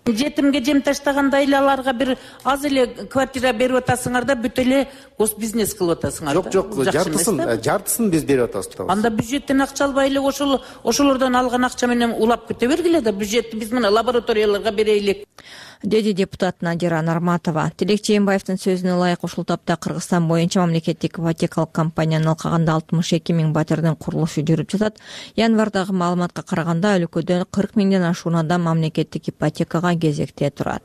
Жетимге жем таштаганда аларга бир аз эле квартира берип атасыңар да бүт эле госбизнес кылып атасыңар. Жок, жартысын биз берип атабыз. Анда бюджеттен акча албай эле ошолордон алган акча менен улап кете бергиле да, бюджетти биз мына лабораторияларга берейлик, деди депутат Надира Нарматова. Тилек Жээнбаевдин сөзүнө ылайык ушул тапта Кыргызстан боюнча мамлекеттик ипотекалык компаниянын алкагында 62 000 батирдин курулушу жүрүп жатат. Январдагы маалыматка караганда өлкөдө 40 000ден ашуун адам мамлекеттик ипотекага кезекте турат.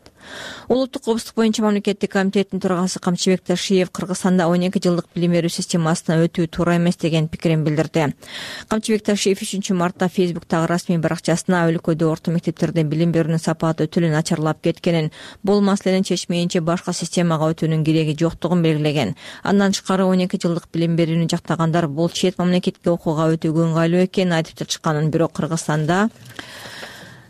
Улуттук коопсуздук боюнча мамлекеттик комитеттин төрагасы Камчыбек Ташиев Кыргызстанда 12 жылдык билим берүү системасына өтүү туура эмес деген пикирин билдирди. Камчыбек Ташиев 3 мартта Фейсбуктагы расмий баракчасына өлкөдө орто мектептерде билим берүүнүн сапаты өтө эле начарлап кеткенин, бул маселени чечмейинче башка системага өтүүнүн кереги жоктугун белгилеген. Андан тышкары 12 жылдык билим берүүнү жактагандар бул чет мамлекетке окууга өтүүгө ыңгайлуу экенин айтып жатышканын, бирок Кыргызстанда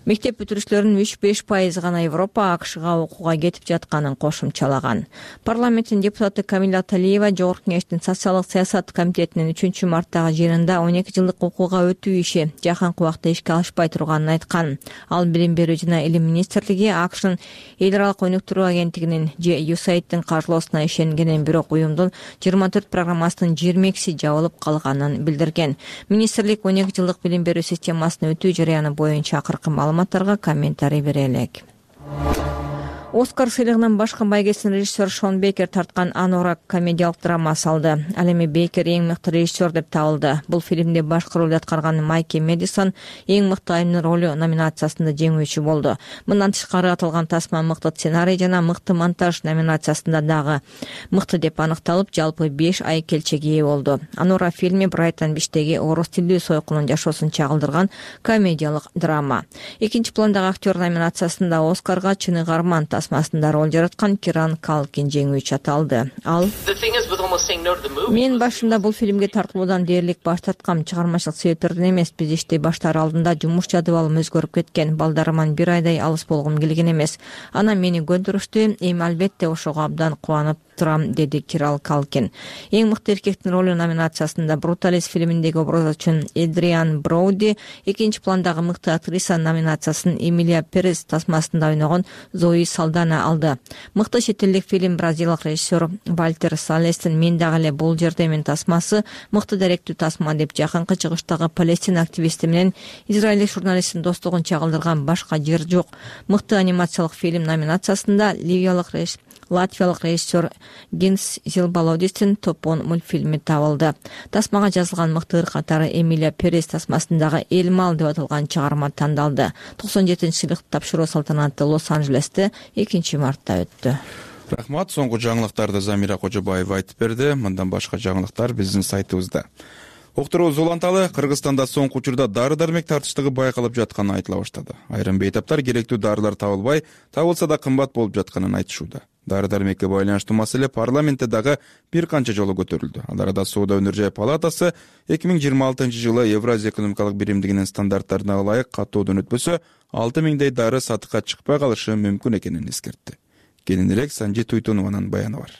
мектеп бүтүрүүчүлөрүнүн 3-5% гана Европа, АКШга окууга кетип жатканын кошумчалаган. Парламенттин депутаты Камила Талиева Жогорку Кеңештин социалдык саясат комитетинин 3 марттагы жыйынында 12 жылдык окууга өтүү иши жакынкы убакта ишке алышпай турганын айткан. Ал билим берүү жана илим министрлиги АКШнын эл аралык өнүктүрүү агенттигинин же USAID-тин каржылоосуна ишенгенин, бирок уюмдун 24 программасынын 22си жабылып калганын билдирген. Министрлик 12 жылдык билим берүү системасына өтүү жараяны боюнча акыркы маалыматтарга комментарий бере элек. Оскар сыйлыгынын башкы байгесин режиссер Шон Бейкер тарткан Анорак комедиялык драмасы алды. Ал эми Бейкер эң мыкты режиссер деп табылды. Бул фильмде башкы ролду аткарган Майки Мэдисон эң мыкты айымдын ролу номинациясында жеңүүчү болду. Мындан тышкары аталган тасма мыкты сценарий жана мыкты монтаж номинациясында дагы мыкты деп аныкталып, жалпы 5 ай келчеге ээ болду. Анора фильми Брайтон Биштеги орус тилдүү сойкунун жашоосун чагылдырган комедиялык драма. Экинчи пландагы актер номинациясында Оскарга Чыныгы Арман тасмасында роль жараткан Киран Калкин жеңүүчү аталды. Ал: "Мен башында бул фильмге тартылуудан дээрлик баш тарткам. Чыгармачылык себептерден эмес. Биз иштей баштаар алдында жумуш жадыбалым өзгөрүп кеткен. Балдарыман бир айдай алыс болгум келген эмес. Анан мени көндүрүштү. Эми албетте ошого абдан кубанып турам", деди Киран Калкин. Эң мыкты эркектин ролу номинациясында Бруталист фильминдеги образы үчүн Эдриан Броуди, экинчи пландагы мыкты актриса номинациясын Эмилия Перес тасмасында ойногон Зои Салдана алды. Мыкты чет элдик фильм бразилиялык режиссер Вальтер Салестин "Мен дагы эле бул жердемин" тасмасы мыкты даректүү тасма деп жакынкы чыгыштагы Палестина активисти менен израилдик журналисттин достугун чагылдырган "Башка жер жок" мыкты анимациялык фильм номинациясында Латвиялык режиссер Гинс Зилбалодистин "Топон" мультфильми табылды. Тасмага жазылган мыкты ыр катары Эмилия Перес тасмасындагы "Элмал" деп аталган чыгарма тандалды. 97-сыйлыкты тапшыруу салтанаты Лос-Анджелесте 2-мартта өттү. Рахмат. Соңку жаңылыктарды Замира Кожобаева айтып берди. Мындан башка жаңылыктар биздин сайтыбызда. Уктурубуз уланталы. Кыргызстанда соңку учурда дары-дармек тартыштыгы байкалып жатканы айтыла баштады. Айрым бейтаптар керектүү дарылар табылбай, табылса да кымбат болуп жатканын айтышууда. Дары-дармекке байланыштуу маселе парламентте дагы бир канча жолу көтөрүлдү. Ал арада Соода өнөр жай палатасы 2026-жылы Евразия экономикалык биримдигинин стандарттарына ылайык каттоодон өтпөсө 6000 дары сатыкка чыкпай калышы мүмкүн экенин эскертти. Кененирээк Санжи Туйтунованын баяны бар.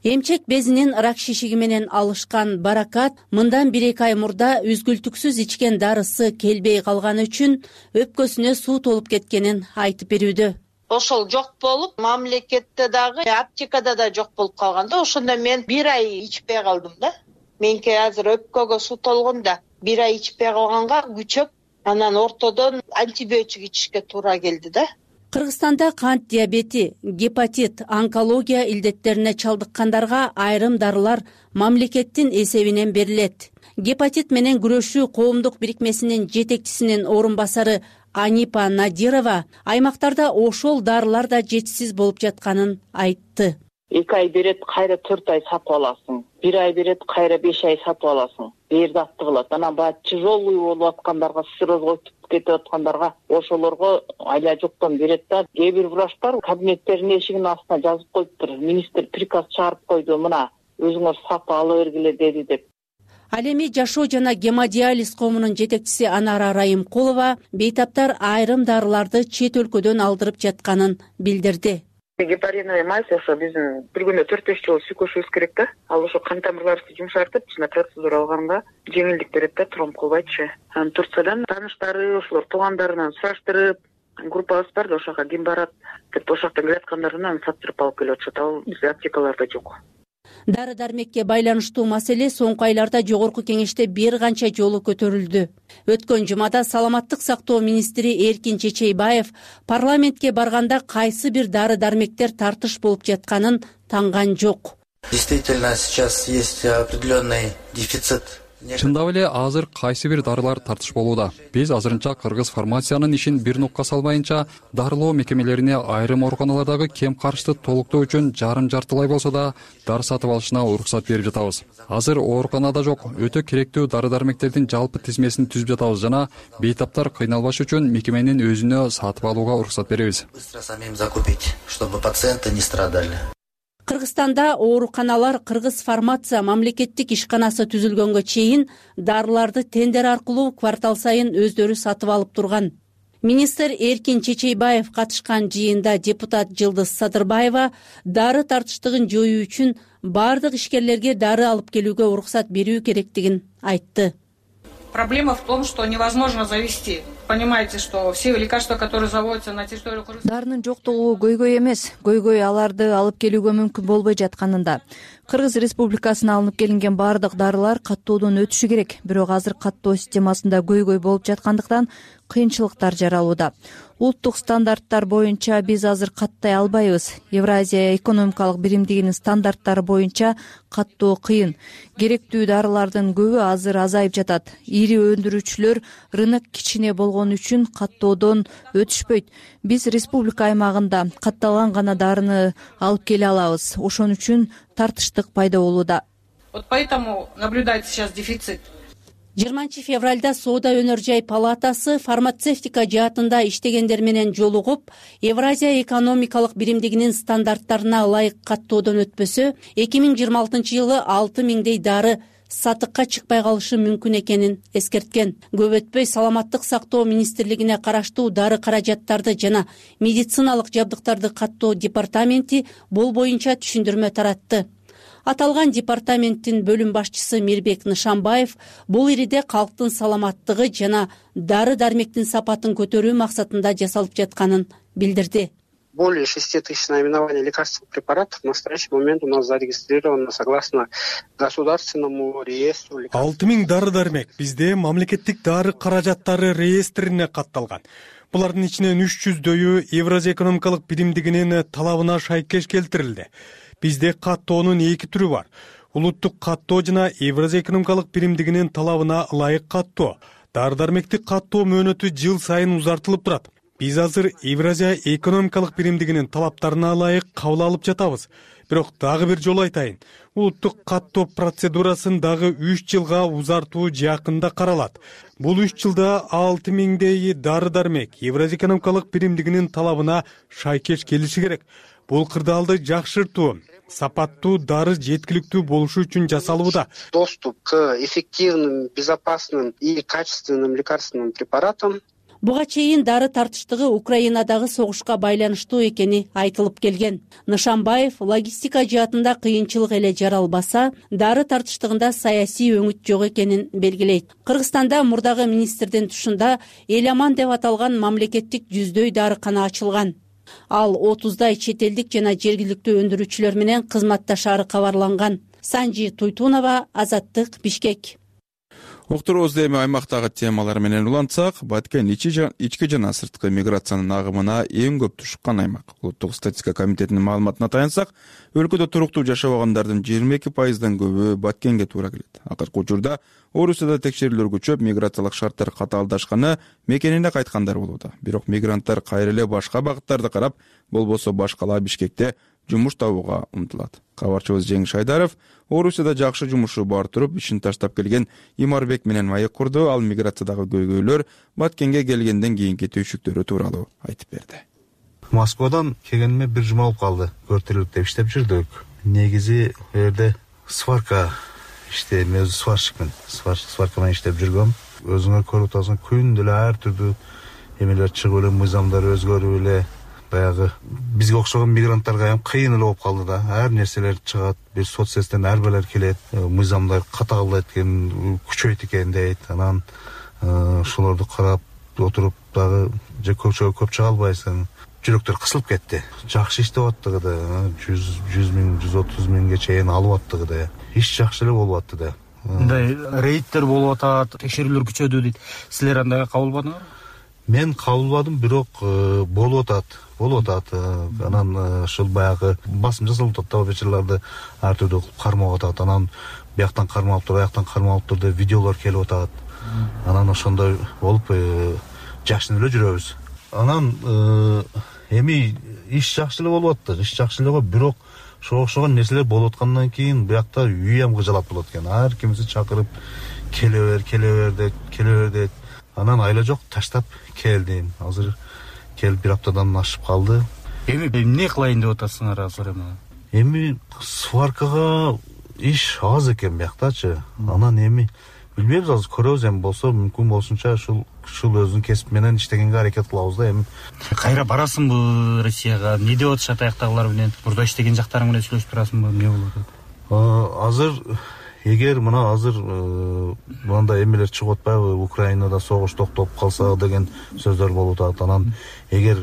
Эмчек безинин рак шишиги менен алышкан Баракат мындан 1-2 ай мурда үзгүлтүксүз ичкен дарысы келбей калганы үчүн өпкөсүнө суу толуп кеткенин айтып берүүдө. Ошол жок болуп, мамлекетте дагы, аптекада да жок болуп калганда, ошондо мен 1 ай ичпей калдым да. Меники азыр өпкөгө суу толгон да, 1 ай ичпей калганга күчөп, анан ортодон антибиотик ичишке туура келди да. Кыргызстанда кант диабети, гепатит, онкология илдеттерине чалдыккандарга айрым дарылар мамлекеттин эсебинен берилет. Гепатит менен күрөшүү коомдук бирикмесинин жетекчисинин орун басары Анипа Надирова аймактарда ошол дарылар да жетишсиз болуп жатканын айтты. 2 ай берет, кайра 4 ай сатып аласың. 1 ай берет, кайра 5 ай сатып аласың. Бердатты кылат. Анан баягы тяжелый болуп аткандарга, сырозго өтүп кетип аткандарга ошолорго айла жоктон берет да. Кээ бир врачтар кабинеттеринин эшигинин астына жазып коюптур. Министр приказ чыгарып койду, мына өзүңөр сатып ала бергиле деди деп. Ал эми жашоо жана гемодиализ коомунун жетекчиси Анара Райымкулова бейтаптар айрым дарыларды чет өлкөдөн алдырып жатканын билдирди. Гепариновый мазь ошо биздин бир күндө 4-5 жолу сүйкөшүбүз керек да. Ал ошо кан тамырларыбызды жумшартып, ичине процедура алганга жеңилдик берет да, тромб кылбайчы. Анан Турциядан тааныштары, ошолор туугандарынан сураштырып, группабыз бар да, ошого ким барат деп ошоктон келаткандарынан сатып алып келип атышат. Ал бизде аптекаларда жок. Дары-дармекке байланыштуу маселе соңку айларда жогорку кеңеште бир канча жолу көтөрүлдү. Өткөн жумада саламаттык сактоо министри Эркин Чечейбаев парламентке барганда кайсы бир дары-дармектер тартыш болуп жатканын танган жок. Действительно, сейчас есть определенный дефицит. Чындап эле азыр кайсы бир дарылар тартыш болууда. Биз азырынча кыргыз фармациянын ишин бир нукка салбайынча дарылоо мекемелерине айрым ооруканалардагы кем карышты толуктоо үчүн жарым-жартылай болсо да дары сатып алышына уруксат берип жатабыз. Азыр ооруканада жок, өтө керектүү дары-дармектердин жалпы тизмесин түзүп жатабыз жана бейтаптар кыйналбаш үчүн мекеменин өзүнө сатып алууга уруксат беребиз. Быстро самим закупить, чтобы пациенты не страдали. Кыргызстанда ооруканалар Кыргыз фармация мамлекеттик ишканасы түзүлгөнгө чейин дарыларды тендер аркылуу квартал сайын өздөрү сатып алып турган. Министр Эркин Чечейбаев катышкан жыйында депутат Жылдыз Садырбаева дары тартыштыгын жоюу үчүн бардык ишкерлерге дары алып келүүгө уруксат берүү керектигин айтты. Проблема в том, что невозможно завести. Понимаете, что все лекарства, которые заводятся на территории Кыргызстана... Дарынын жоктугу көйгөй эмес, көйгөй аларды алып келүүгө мүмкүн болбой жатканында. Кыргыз Республикасына алынып келинген бардык дарылар каттоодон өтүшү керек, бирок азыр каттоо системасында көйгөй болуп жаткандыктан кыйынчылыктар жаралууда. Улуттук стандарттар боюнча биз азыр каттай албайбыз. Евразия экономикалык биримдигинин стандарттары боюнча каттоо кыйын. Керектүү дарылардын көбү азыр азайып жатат. Ири өндүрүүчүлөр рынок кичине болгон үчүн каттоодон өтүшпөйт. Биз республика аймагында катталган гана дарыны алып келе алабыз. Ошон үчүн тартыштык пайда болууда. Вот поэтому наблюдается сейчас дефицит. 20 февралда соода өнөр жай палатасы фармацевтика жаатында иштегендер менен жолугуп, Евразия экономикалык биримдигинин стандарттарына ылайык каттоодон өтпөсө 2026-жылы 6000дей дары сатыкка чыкпай калышы мүмкүн экенин эскерткен. Көп өтпөй Саламаттык сактоо министрлигине караштуу дары каражаттарды жана медициналык жабдыктарды каттоо департаменти бул боюнча түшүндүрмө таратты. Аталган департаменттин бөлүм башчысы Мирбек Нышанбаев бул ириде калктын саламаттыгы жана дары-дармектин сапатын көтөрүү максатында жасалып жатканын билдирди. Более 6000 наименований лекарственных препаратов в настоящий момент у нас зарегистрировано согласно государственному реестру. 6000 дары-дармек бизде мамлекеттик дары каражаттары реестрине катталган. Булардын ичинен 300дөйү Евразия экономикалык биримдигинин талабына шайкеш келтирилди. Бизде каттоонун эки түрү бар. Улуттук каттоо жана Евразия экономикалык биримдигинин талабына ылайык каттоо. Дары-дармекти каттоо мөөнөтү жыл сайын узартылып турат. Биз азыр Евразия экономикалык биримдигинин талаптарына ылайык кабыл алып жатабыз. Бирок дагы бир жолу айтайын. Улуттук каттоо процедурасын дагы 3 жылга узартуу жакында каралат. Бул 3 жылда 6000дей дары-дармек Евразия экономикалык биримдигинин талабына шайкеш келиши керек. Бул кырдаалды жакшыртуу, сапаттуу дары жеткиликтүү болушу үчүн жасалууда. Доступ к эффективным, безопасным и качественным лекарственным препаратам. Буга чейин дары тартыштыгы Украинадагы согушка байланыштуу экени айтылып келген. Нышанбаев логистика жаатында кыйынчылык эле жаралбаса, дары тартыштыгында саясий өңүт жок экенин белгилейт. Кыргызстанда мурдагы министрдин тушунда Эл аман деп аталган мамлекеттик 100дөй дарыкана ачылган. Ал 30дай чет элдик жана жергиликтүү өндүрүүчүлөр менен кызматташаары кабарланган. Санжи Туйтунова, Азаттык, Бишкек. Уктуруубузду эми аймактагы темалар менен улантсак, Баткен ички жана сырткы миграциянын агымына эң көп тушуккан аймак. Улуттук статистика комитетинин маалыматына таянсак, өлкөдө туруктуу жашабагандардын 22%дан көбү Баткенге туура келет. Акыркы учурда Орусияда текшерүүлөр күчөп, миграциялык шарттар катаалдашканы мекенине кайткандар болууда. Бирок мигранттар кайра эле башка багыттарды карап, болбосо башкала Бишкекте жумуш табууга умтулат. Кабарчыбыз Жеңиш Айдаров Орусияда жакшы жумушу бар туруп, ишин таштап келген Имарбек менен маек курду. Ал миграциядагы көйгөйлөр Баткенге келгенден кийинки түйшүктөрү тууралуу айтып берди. Москвадан келгениме 1 жума болуп калды. Көртүлүктө иштеп жүрдүк. Негизи бу жерде сварка мен өзү сварщикмин. Сварка менен иштеп жүргөм. Өзүңөр көрүп атасың, күндө эле ар түрдүү эмелер чыгып эле, мыйзамдар өзгөрүп эле, баягы бизге окшогон мигранттарга ham кыйын эле болуп калды да. Ар нерселер чыгат, бир соцсеттен ар бирлер келет, мыйзамдар катаалдайт экен, күчөйт экен дейт. Анан ошолорду карап отуруп дагы же көп чыга албайсың. Жүрөктөр кысылып кетти. Жакшы иштеп аттыгы да 100 миң, 130 миңге чейин алып аттыгы да. Иш жакшы эле болуп атты да. Мындай рейдтер болуп атат, текшерүүлөр күчөдү дейт. Силер андай кабыл албадыңарбы? Мен кабыл албадым, бирок болуп атат. Анан ушул баягы басым жасалып атат, вечерларды ар түрдүү кармап атат. Анан бияктан кармап тур, аяктан кармап тур деп видеолор келип атат. Анан ошондой болуп жашынып эле жүрөбүз. Анан эми иш жакшы эле болуп атты. Иш жакшы эле, бирок окшогон нерселер болуп аткандан кийин биякта үй ham кыжалат болот экен. Ар кимди чакырып келе бер дейт. Анан айла жок, таштап келдим. Азыр келип 1 аптадан ашып калды. Эми эмне кылайын деп атасыңар азыр эми? Эми сваркага иш аз экен бияктачы. Анан эми билбейбиз, азыр көрөбүз, эми болсо мүмкүн болсунча ушул өзүнүн кесип менен иштегенге аракет кылабыз да. Эми кайра барасыңбы Россияга? Эмне деп атышат аяктагылар менен? Мурда иштеген жактарың менен сүйлөшүп турасыңбы? Эмне болуп атат? Азыр эгер мына азыр мындай эмелер чыгып атпайбы, Украинада согуш токтоп калса деген сөздөр болуп атат. Анан эгер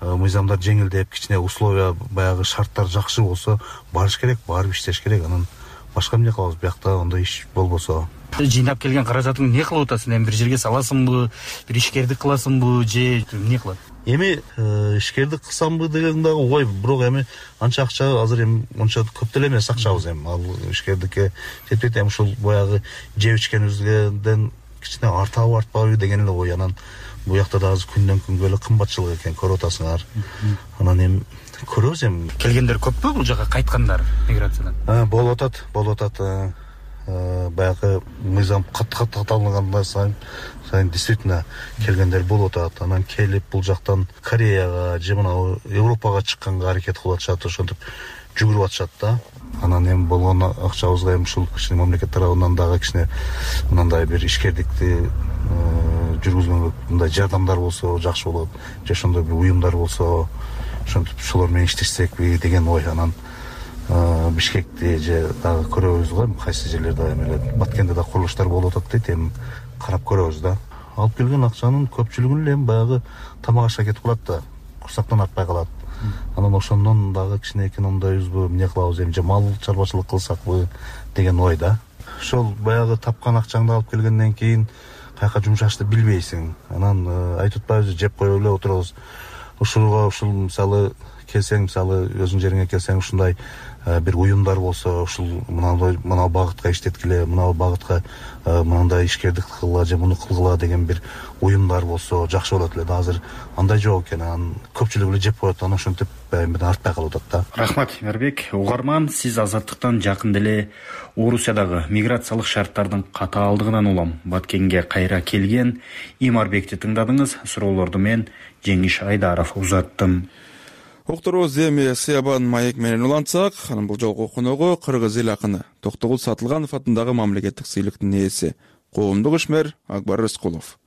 мыйзамдар жеңилдеп, кичине условия, баягы шарттар жакшы болсо, барыш керек, барып иштеш керек. Анан башка эмне кылабыз, биякта андай иш болбосо. Жыйнап келген каражатыңды эмне кылып атасың? Эми бир жерге саласыңбы, бир ишкердик кыласыңбы, же эмне кылат? Эми ишкердик кылсамбы деген дагы ой, бирок эми анча акча азыр эми онча көп деле эмес акчабыз эми. Ал ишкердикке жетпейт. Эми ушул баягы жеп ичкенибизден кичине артабы артпабы деген эле ой. Анан бу жакта да азыр күндөн күнгө эле кымбатчылык экен, көрүп атасыңар. Анан эми көрөбүз эми. Келгендер көппү бул жака кайткандар миграциядан? Болуп атат. баягы мыйзам катталгандан сайын действительно келгендер болуп атат. Анан келип бул жактан Кореяга же мына Европага чыкканга аракет кылып атышат, ошентип жүгүрүп атышат да. Анан эми болгон акчабызга эми ушул кичине мамлекет тарабынан дагы кичине мындай бир ишкердикти жүргүзгөнгө мындай жардамдар болсо жакшы болот, же ошондой бир уюмдар болсо ошентип ошолор менен иштешсекпи деген ой. Анан Бишкекти же дагы көрөбүз го, кайсы жерлерде эми эле Баткенде да курулуштар болуп атат дейт, эми карап көрөбүз да. Алып келген акчанын көпчүлүгүн эле эми баягы тамак ашка кетип калат да, курсактан артпай калат. Анан ошондон дагы кичине экономдойбузбу, эмне кылабыз, эми же мал чарбачылык кылсакпы деген ой да. Ошол баягы тапкан акчаңды алып келгенден кийин каяка жумшашты билбейсиң. Анан айтып атпайбызбы, жеп коюп эле отурабыз. Ушул мисалы келсең, мисалы өзүң жериңе келсең, ушундай бир уюмдар болсо, ушул мына багытка иштеткиле, мына багытка мындай ишкердик кылгыла же муну кылгыла деген бир уюмдар болсо жакшы болот эле да. Азыр андай жок экен, анан көпчүлүк эле жеп коет, анан ошентип эми артпай калып атат да. Рахмат, Эмербек. Угарман, сиз Азаттыктан жакында эле Орусиядагы миграциялык шарттардын катаалдыгынан улам Баткенге кайра келген Эмербекти тыңдадыңыз. Суроолорду мен Жеңиш Айдаров узаттым. Уктурубуз эми Сыябан маек менен улантсак, анын бул жолку коногу кыргыз эл акыны Токтогул Сатылганов атындагы мамлекеттик сыйлыктын ээси, коомдук ишмер Акбар Рыскулов.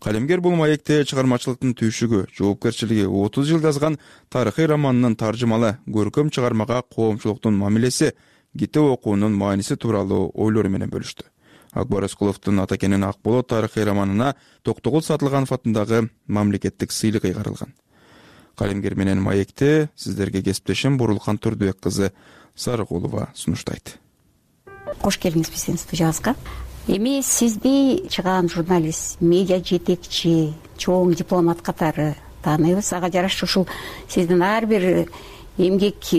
Калемгер бул маекте чыгармачылыктын түйшүгү, жоопкерчилиги 30 жыл жазган тарыхый романынын таржымалы көркөм чыгармага коомчулуктун мамилеси, китеп окуунун мааниси тууралуу ойлору менен бөлүштү. Акбар Рыскуловдун Атакенин Ак болот тарыхый романына Токтогул Сатылганов атындагы мамлекеттик сыйлык ыйгарылган. Калемгер менен маекте сиздерге кесиптешим Бурулкан Турдубек кызы Сарыгулова сунуштайт. Кош келиңиз биздин студиябызга. Эми сизди чыгаан журналист, медиа жетекчи, чоң дипломат катары тааныйбыз. Ага жараша ушул сиздин ар бир эмгек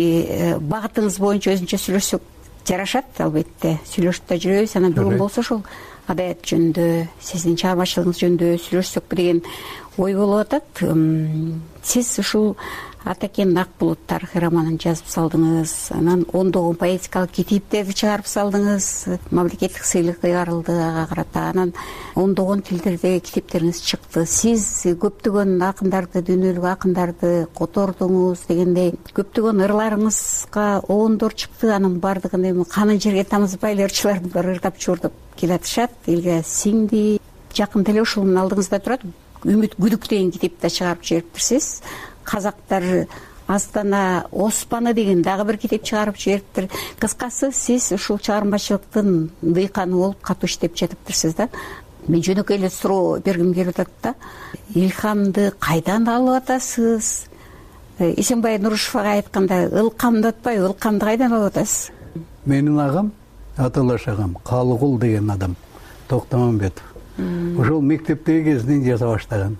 багытыңыз боюнча өзүнчө сүйлөшсөк жарашат, албетте. Сүйлөшүп да жүрөбүз. Анан бүгүн болсо ушул адаят жөнүндө, сиздин чыгармачылыгыңыз жөнүндө сүйлөшсөк деген ой болуп атат. Сиз ушул Атакен Ак болот тарыхый романын жазып салдыңыз, анан ондогон поэтикалык китептерди чыгарып салдыңыз, мамлекеттик сыйлык ыйгарылды ага карата, анан ондогон тилдерде китептериңиз чыкты. Сиз көптөгөн акындарды, дүйнөлүк акындарды котордуңуз дегендей, көптөгөн ырларыңызга оондор чыкты. Анын баардыгын эми канын жерге тамызбай эле ырчылардын баары ырдап чуурдап келатышат, элге сиңди. Жакында эле ушунун алдыңызда турат Үмүт күдүк деген китепти чыгарып жибериптирсиз. Казактар Астана Оспаны деген дагы бир китеп чыгарып жибериптир. Кыскасы, сиз ушул чыгармачылыктын дыйканы болуп катуу иштеп жатыптырсыз да. Мен жөнөкөй эле суроо бергим келип атат да. Илхамды кайдан алып атасыз? Эсенбай Нурушевага айтканда, ылкамды атпайбы, ылкамды кайдан алып атасыз? Менин агам, аталаш агам, Калыгул деген адам, Токтомамбетов. Ошол мектептеги кезинен жаза баштаган.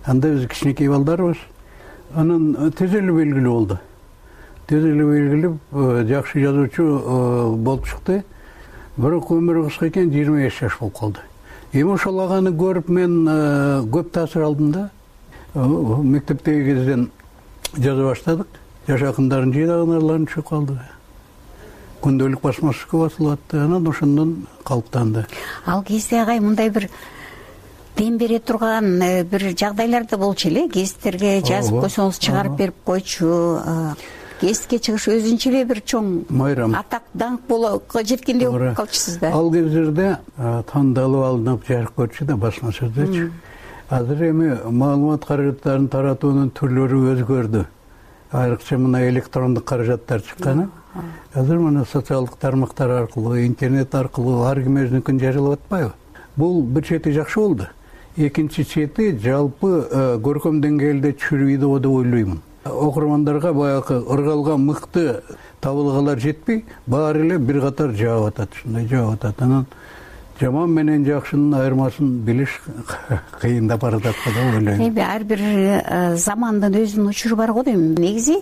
Анда биз кичинекей балдарбыз. Анан тез эле белгилүү болду. Тез эле белгилүү жакшы жазуучу болуп чыкты. Бирок өмүрү кыска экен, 25 жаш болуп калды. Эми ошол аганы көрүп мен көп таасир алдым да. Мектептеги кезден жаза баштадык. Жаш акындардын жыйнаган ырларын чыгып калды. Күндөлүк басмачыкка басылып атты. Анан ошондон калыптанды. Ал кезде агай мындай бир дем бере турган бир жагдайларда болчу эле. Гезиттерге жазып койсоңуз чыгарып берип койчу. Гезитке чыгыш өзүнчө эле бир чоң майрам, атак даңк болууга жеткендей болуп калчусуз да. Ал кездерде тандалып алынып жарык көрчү да басмачыдачы. Азыр эми маалымат каражаттарын таратуунун түрлөрү өзгөрдү. Айрыкча мына электрондук каражаттар чыкканы. Азыр мына социалдык тармактар аркылуу, интернет аркылуу ар ким өзүнүкүн жарыялап атпайбы? Бул бир чети жакшы болду. Экинчи чети жалпы көркөм деңгээлде чүрүйдү деп ойлоймун. Окурмандарга баягы ыргалган мыкты табылгалар жетпей, баары эле бир катар жаап атат, ушундай жаап атат. Анан жаман менен жакшынын айырмасын билиш кыйындап баратат деп ойлойм. Эми ар бир замандын өзүнүн учуру бар го дейм. Негизи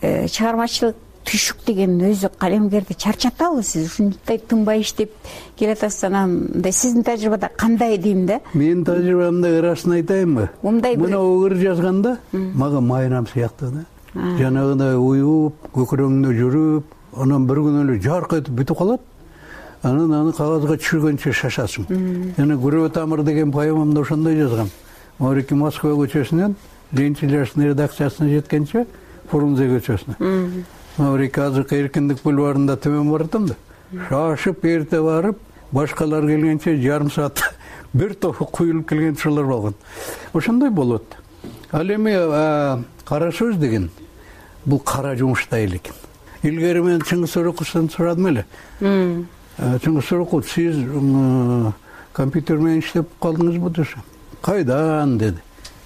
чыгармачылык түйшүк деген өзү калемгерди чарчатабы? Сиз ушундай тынбай иштеп келатасыз. Анан сиздин тажрыйбада кандай дейм да? Менин тажрыйбамда ырасын айтайынбы? Мына ыр жазганда мага майрам сыяктуу да. Жанагындай уюп, көкүрөңдө жүрүп, анан бир күнү эле жарк этип бүтүп калат. анан аны кагазга түшүргөнчө шашасың. Жана Күрөө тамыр деген поэмамда ошондой жазгам. Маврикий Москва көчөсүнөн Ленинчилердин редакциясына жеткенче Фрунзе көчөсүнө. Маврикий азыркы Эркиндик бульварында төмөн баратам да. Шашып эрте барып, башкалар келгенче жарым саат бир топ куюлуп келген учурлар болгон. Ошондой болот. Ал эми кара сөз деген бул кара жумуштай эле экен. Илгери мен Чыңгыз Сөрөкуловдон сурадым эле. Чыңгыз Сөрөкулов, сиз компьютер менен иштеп калдыңызбы десе. Кайдан деди.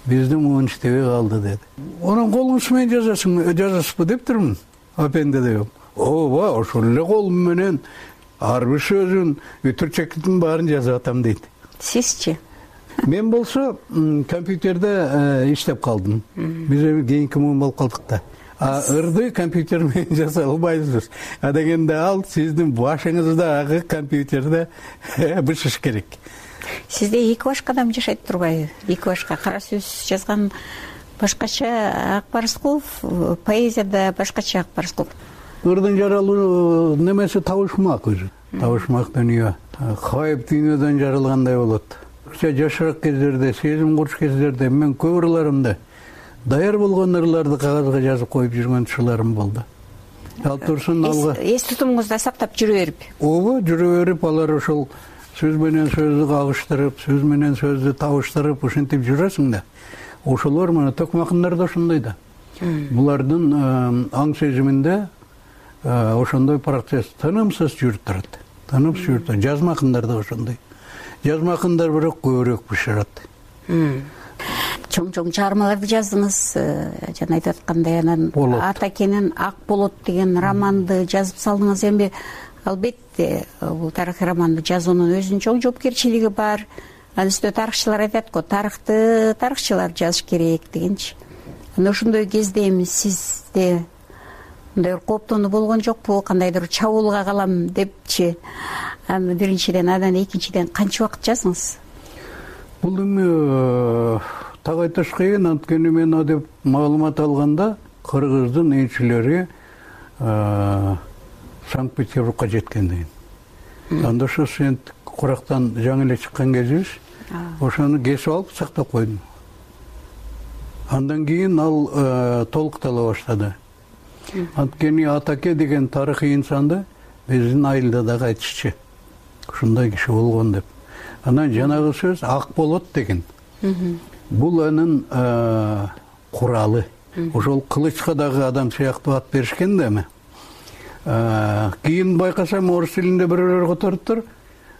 Бизде муун иштебей калды деди. Онун колуңуз менен жазасызбы дептирмин. Апенде деп. Ооба, ошол эле колум менен ар бир сөзүн, үтүрчектин баарын жазып атам дейт. Сизчи? Мен болсо компьютерде иштеп калдым. Биз эми кийинки муун болуп калдык да. Ырды компьютер менен жасай албайбыз. Дегенде ал сиздин башыңыздагы компьютерде бышыш керек. Сизде эки башка адам жашайт турбайбы? Эки башка кара сөз жазган башкача Акбарскулов, поэзияда башкача Акбарскулов. Ырдын жаралуу немеси табышмак өзү. Табышмак дүйнө. Кайып дүйнөдөн жаралгандай болот. Жашыраак кездерде, сезим куруш кездерде мен көп ырларымды даяр болгон ырларды кагазга жазып коюп жүргөн учурларым болду. Ал турсун алга. Эс тутумуңузда сактап жүрө берип. Ооба, жүрө берип, алар ошол сөз менен сөздү кагыштырып, сөз менен сөздү табыштырып, ушинтип жүрөсүң да. Ошолор мына токмакындар да ошондой да. Булардын аң сезиминде ошондой процесс тынымсыз жүрүп турат. Тынымсыз жүрүп турат. Жазмакындар да ошондой. Жазмакындар бирок көбүрөөк бышырат. Чоң чыгармаларды жаздыңыз, жана айтып аткандай, анан Атакенин Ак болот деген романды жазып салдыңыз. Эми албетте бул тарыхый романды жазуунун өзүнүн чоң жоопкерчилиги бар. Анын үстүнө тарыхчылар айтат го, тарыхты тарыхчылар жазыш керек дегенчи. Анда ошондой кезде эми сизде мындай кооптонуу болгон жокпу? Кандайдыр чабуулга калам депчи? Аны биринчиден, анан экинчиден канча убакыт жаздыңыз? Бул эми так айтыш кыйын, анткени мен деп маалымат алганда кыргыздын элчилери Санкт-Петербургка жеткен деген. Анда ошо сен курактан жаңы эле чыккан кезибиз, ошону кесип алып сактап койдум. Андан кийин ал толуктала баштады. Анткени Атаке деген тарыхый инсанды биздин айылда дагы айтышчу. Ушундай киши болгон деп. Анан жанагы сөз Ак болот деген. Бул анын куралы. Ошол кылычка дагы адам сыяктуу ат беришкен да эми. Кийин байкасам орус тилинде бирөөлөр которуптур.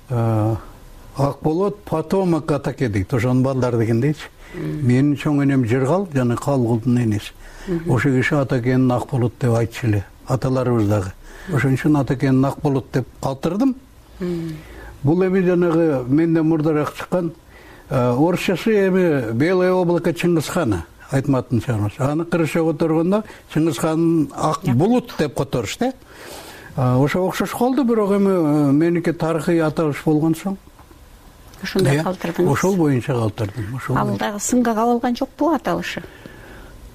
Ак болот потомок Атаке дейт. Ошонун балдары деген дейчи. Менин чоң энем Жыргал жана Калгулдун энеси. Ошо киши Атакенин Ак болот деп айтчу эле. Аталарыбыз дагы. Ошон үчүн Атакенин Ак болот деп калтырдым. Бул эми жанагы менден мурдараак чыккан орусчасы эми Белое облако Чыңгызхана Айтматтын чыгармасы. Аны кыргызча которгондо Чыңгызхандын Ак булут деп которуш да. Ошо окшош калды, бирок эми меники тарыхый аталыш болгон соң ошондой калтырдыңыз. Ошол боюнча калтырдым. Ал дагы сынга кабылган жокпу аталышы?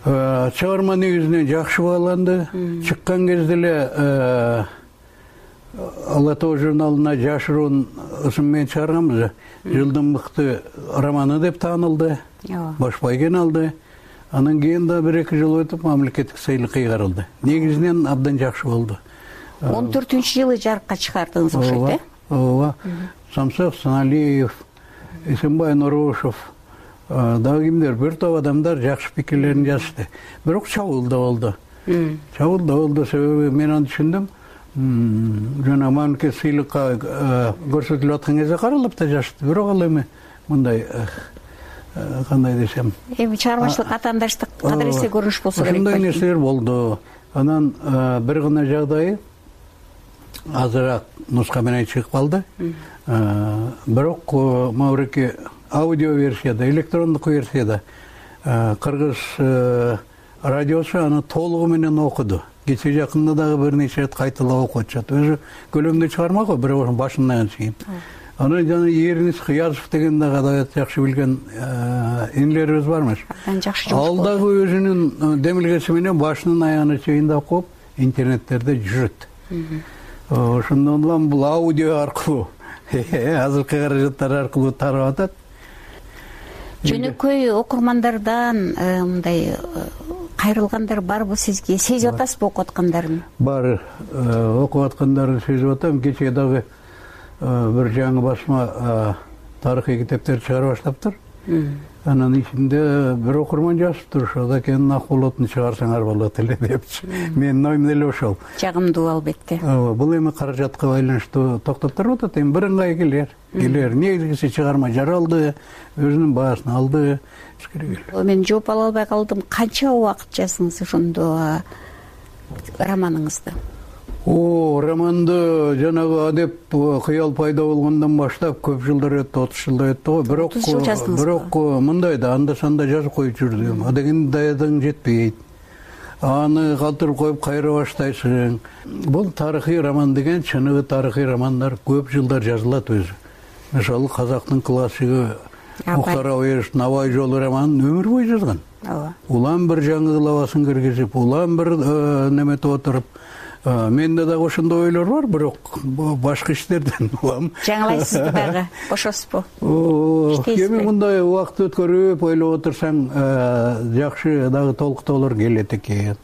Чыгарма негизинен жакшы бааланды. Чыккан кезде эле Ала Тоо журналына жашыруун ысым менен чыгарганбыз. Жылдын мыкты романы деп таанылды. Баш байген алды. Анан кийин да 1-2 жыл өтүп мамлекеттик сыйлык кыйгарылды. Негизинен абдан жакшы болду. 14-жылы жарыкка чыгардыңыз окшойт, э? Ооба. Самсак Саналиев, Эсенбай Нурушев, дагы кимдер, бир топ адамдар жакшы пикирлерин жазышты. Бирок чабуул да болду. Чабуул да болду, себеби мен аны түшүндүм. Жана мамлекет сыйлыкка көрсөтүлүп аткан кезде каралып да жазышты. Бирок ал эми мындай кандай десем, эми чыгармачылык атаандаштык кадыресе көрүнүш болсо керек. Ошондой нерселер болду. Анан бир гана жагдайы азыраак нуска менен чыгып калды. Бирок Маврикий аудио версияда, электрондук версияда кыргыз радиосу аны толугу менен окуду. Кече жакында дагы бир нече рет кайталап окуп атышат. Өзү көлөмдүү чыгарма го, бирок башынан чейин. Анан жана Ернис Кыязов деген дагы адабият жакшы билген инилерибиз бармыш. Ал дагы өзүнүн демилгеси менен башынан аягына чейин окуп, интернеттерде жүрөт. ошондон улам бул аудио аркылуу азыркы каражаттар аркылуу тарап атат. Жөнөкөй окурмандардан мындай кайрылгандар барбы сизге? Сезип атасызбы окуп аткандарын? Бар, окуп аткандарын сезип атам. Кечээ дагы бир жаңы басма тарыхый китептерди чыгара баштаптыр. Анын ичинде бир окурман жазыптыр, ошо Акенин Акболотун чыгарсаңар болот эле депчи. Менин оюм эле ошол. Жагымдуу албетте. Бул эми каражатка байланыштуу токтоп туруп атат. Эми бирыңгай келер. Негизгиси чыгарма жаралды, өзүнүн баасын алды. Мен жооп ала албай калдым. Канча убакыт жаздыңыз ошондо романыңызды? Романды жанагы адеп кыял пайда болгондон баштап көп жылдар өттү, 30 жылдай өттү го. Бирок мындай да анда санда жазып коюп жүрдүм. Адегенде даярдыгың жетпейт. Аны калтырып коюп кайра баштайсың. Бул тарыхый роман деген, чыныгы тарыхый романдар көп жылдар жазылат өзү. Мисалы казактын классиги Мухтар Абаевичтин Абай жолу романын өмүр бою жазган. Улам бир жаңы кылабасын киргизип, улам бир неметип отуруп. Менде дагы ошондой ойлор бар, бирок башка иштерден улам. Жаңылайсызбы дагы? Бошосузбу? Эми мындай убакыт өткөрүп ойлоп отурсаң, жакшы дагы толуктоолор келет экен.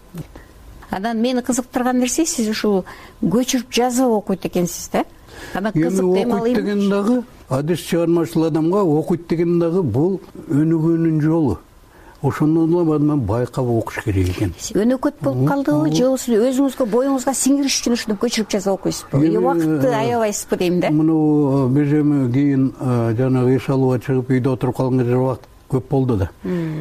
Анан мени кызыктырган нерсе, сиз ушул көчүрүп жазып окуйт экенсиз да? Анан кызык окуйт деген дагы адис чыгармачыл адамга окуйт деген дагы бул өнүгүүнүн жолу. Ошондон улам мен байкап окуш керек экен. Өнөкөт болуп калдыбы же өзүңүзгө боюңузга сиңириш үчүн ушуну көчүрүп жазып окуйсузбу? Убакытты аябайсызбы дейм да? Муну биз эми кийин жанагы эс алууга чыгып үйдө отуруп калган кезде убакыт көп болду да.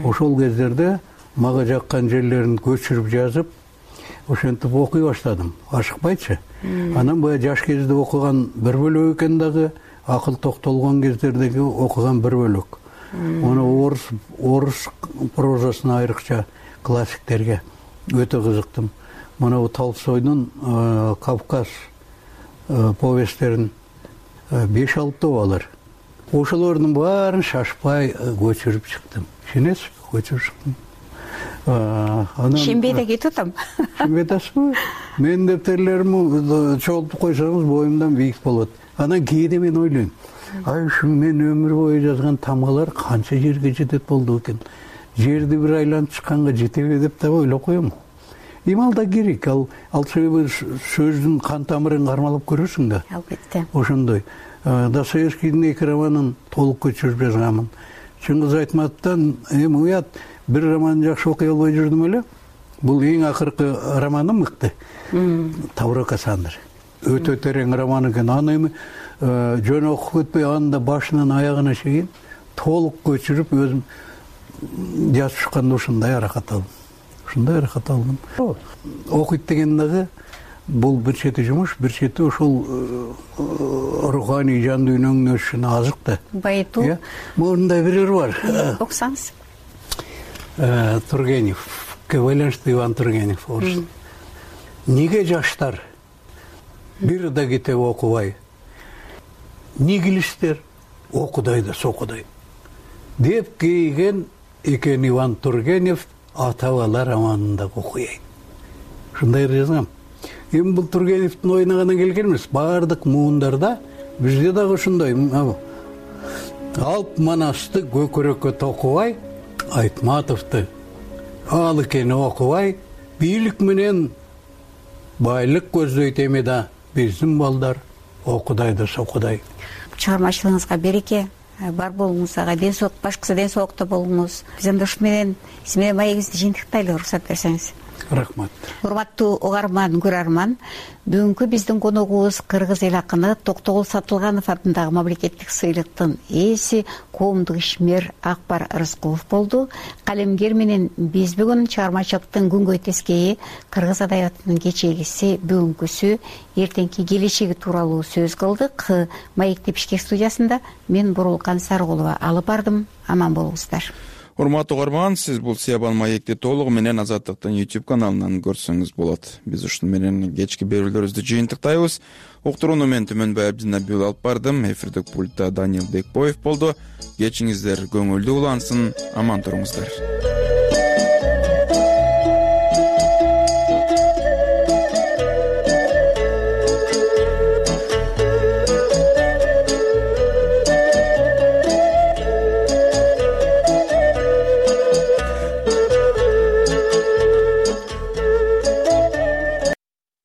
Ошол кездерде мага жаккан жерлерин көчүрүп жазып, ошентип окуй баштадым. Ашыкпайчы. Анан баягы жаш кезде окуган бир бөлөк экен дагы, акыл токтолгон кездердеги окуган бир бөлөк. Муну орус прозасына айрыкча классиктерге өтө кызыктым. Мына Толстойдун Кавказ повесттерин 5-6 алар. Ошолордун баарын шашпай көчүрүп чыктым. Ишенесизби? Көчүрүп чыктым. Ишенбей да кетип атам. Ишенбей атасызбы? Менин дептерлеримди чогултуп койсоңуз боюмдан бийик болот. Анан кээде мен ойлойм. Ушу мен өмүр бою жазган тамгалар канча жерге жетет болду экен. Жерди бир айланып чыкканга жетеби деп да ойлоп коем. Эми ал да керек. Ал себеби сөздүн кан тамырын кармалап көрөсүң да. Албетте. Ошондой. Достоевскийдин 2 романын толук көчүрүп жазганмын. Чыңгыз Айтматовдон эми уят бир романын жакшы окуй албай жүрдүм эле. Бул эң акыркы романым мыкты. Тавро Кассандра. Өтө терең роман экен. Аны эми жөн окуп өтпөй анда башынан аягына чейин толук көчүрүп өзүм жазып чыкканда ушундай аракат алдым. Окуйт деген дагы бул бир чети жумуш, бир чети ошол руханий жан дүйнөңдүн өсүшүнө азык да. Байытуу. Мындай бирөө бар. Окусаңыз. Тургеневке байланыштуу Иван Тургенев орус. Неге жаштар бир да китеп окубай? Нигилистер окудай да сокудай деп кейген экен Иван Тургенев ата-бала романында окуяйт. Ушундай жазгам. Эми бул Тургеневдин оюна гана келген эмес, баардык муундарда бизде дагы ушундай. Алп Манасты көкөрөккө токубай, Айтматовду ал экени окубай, бийлик менен байлык көздөйт эми да биздин балдар окудай да сокудай. Чыгармачылыгыңызга береке, бар болуңузга ден соолук, башкысы ден соолукта болуңуз. Биз анда ушу менен сиз менен маегибизди жыйынтыктайлы, уруксат берсеңиз. Рахмат. Урматтуу угарман, көрөрман, бүгүнкү биздин коногубуз кыргыз эл акыны Токтогул Сатылганов атындагы мамлекеттик сыйлыктын ээси коомдук ишмер Акбар Рыскулов болду. Калемгер менен биз бүгүн чыгармачылыктын күнгөй тескейи, кыргыз адабиятынын кечегиси, бүгүнкүсү, эртеңки келечеги тууралуу сөз кылдык. Маек Тепишкек студиясында мен Бурулкан Сарыгулова алып бардым. Аман болуңуздар. Урматтуу угарман, сиз бул Сыябан маекти толугу менен Азаттыктын YouTube каналынан көрсөңүз болот. Биз ушун менен кечки берүүлөрүбүздү жыйынтыктайбыз. Уктурууну мен Түмөнбай Абдинабиул алып бардым. Эфирдик пультта Даниил Бекбоев болду. Кечиңиздер көңүлдүү улансын, аман туруңуздар.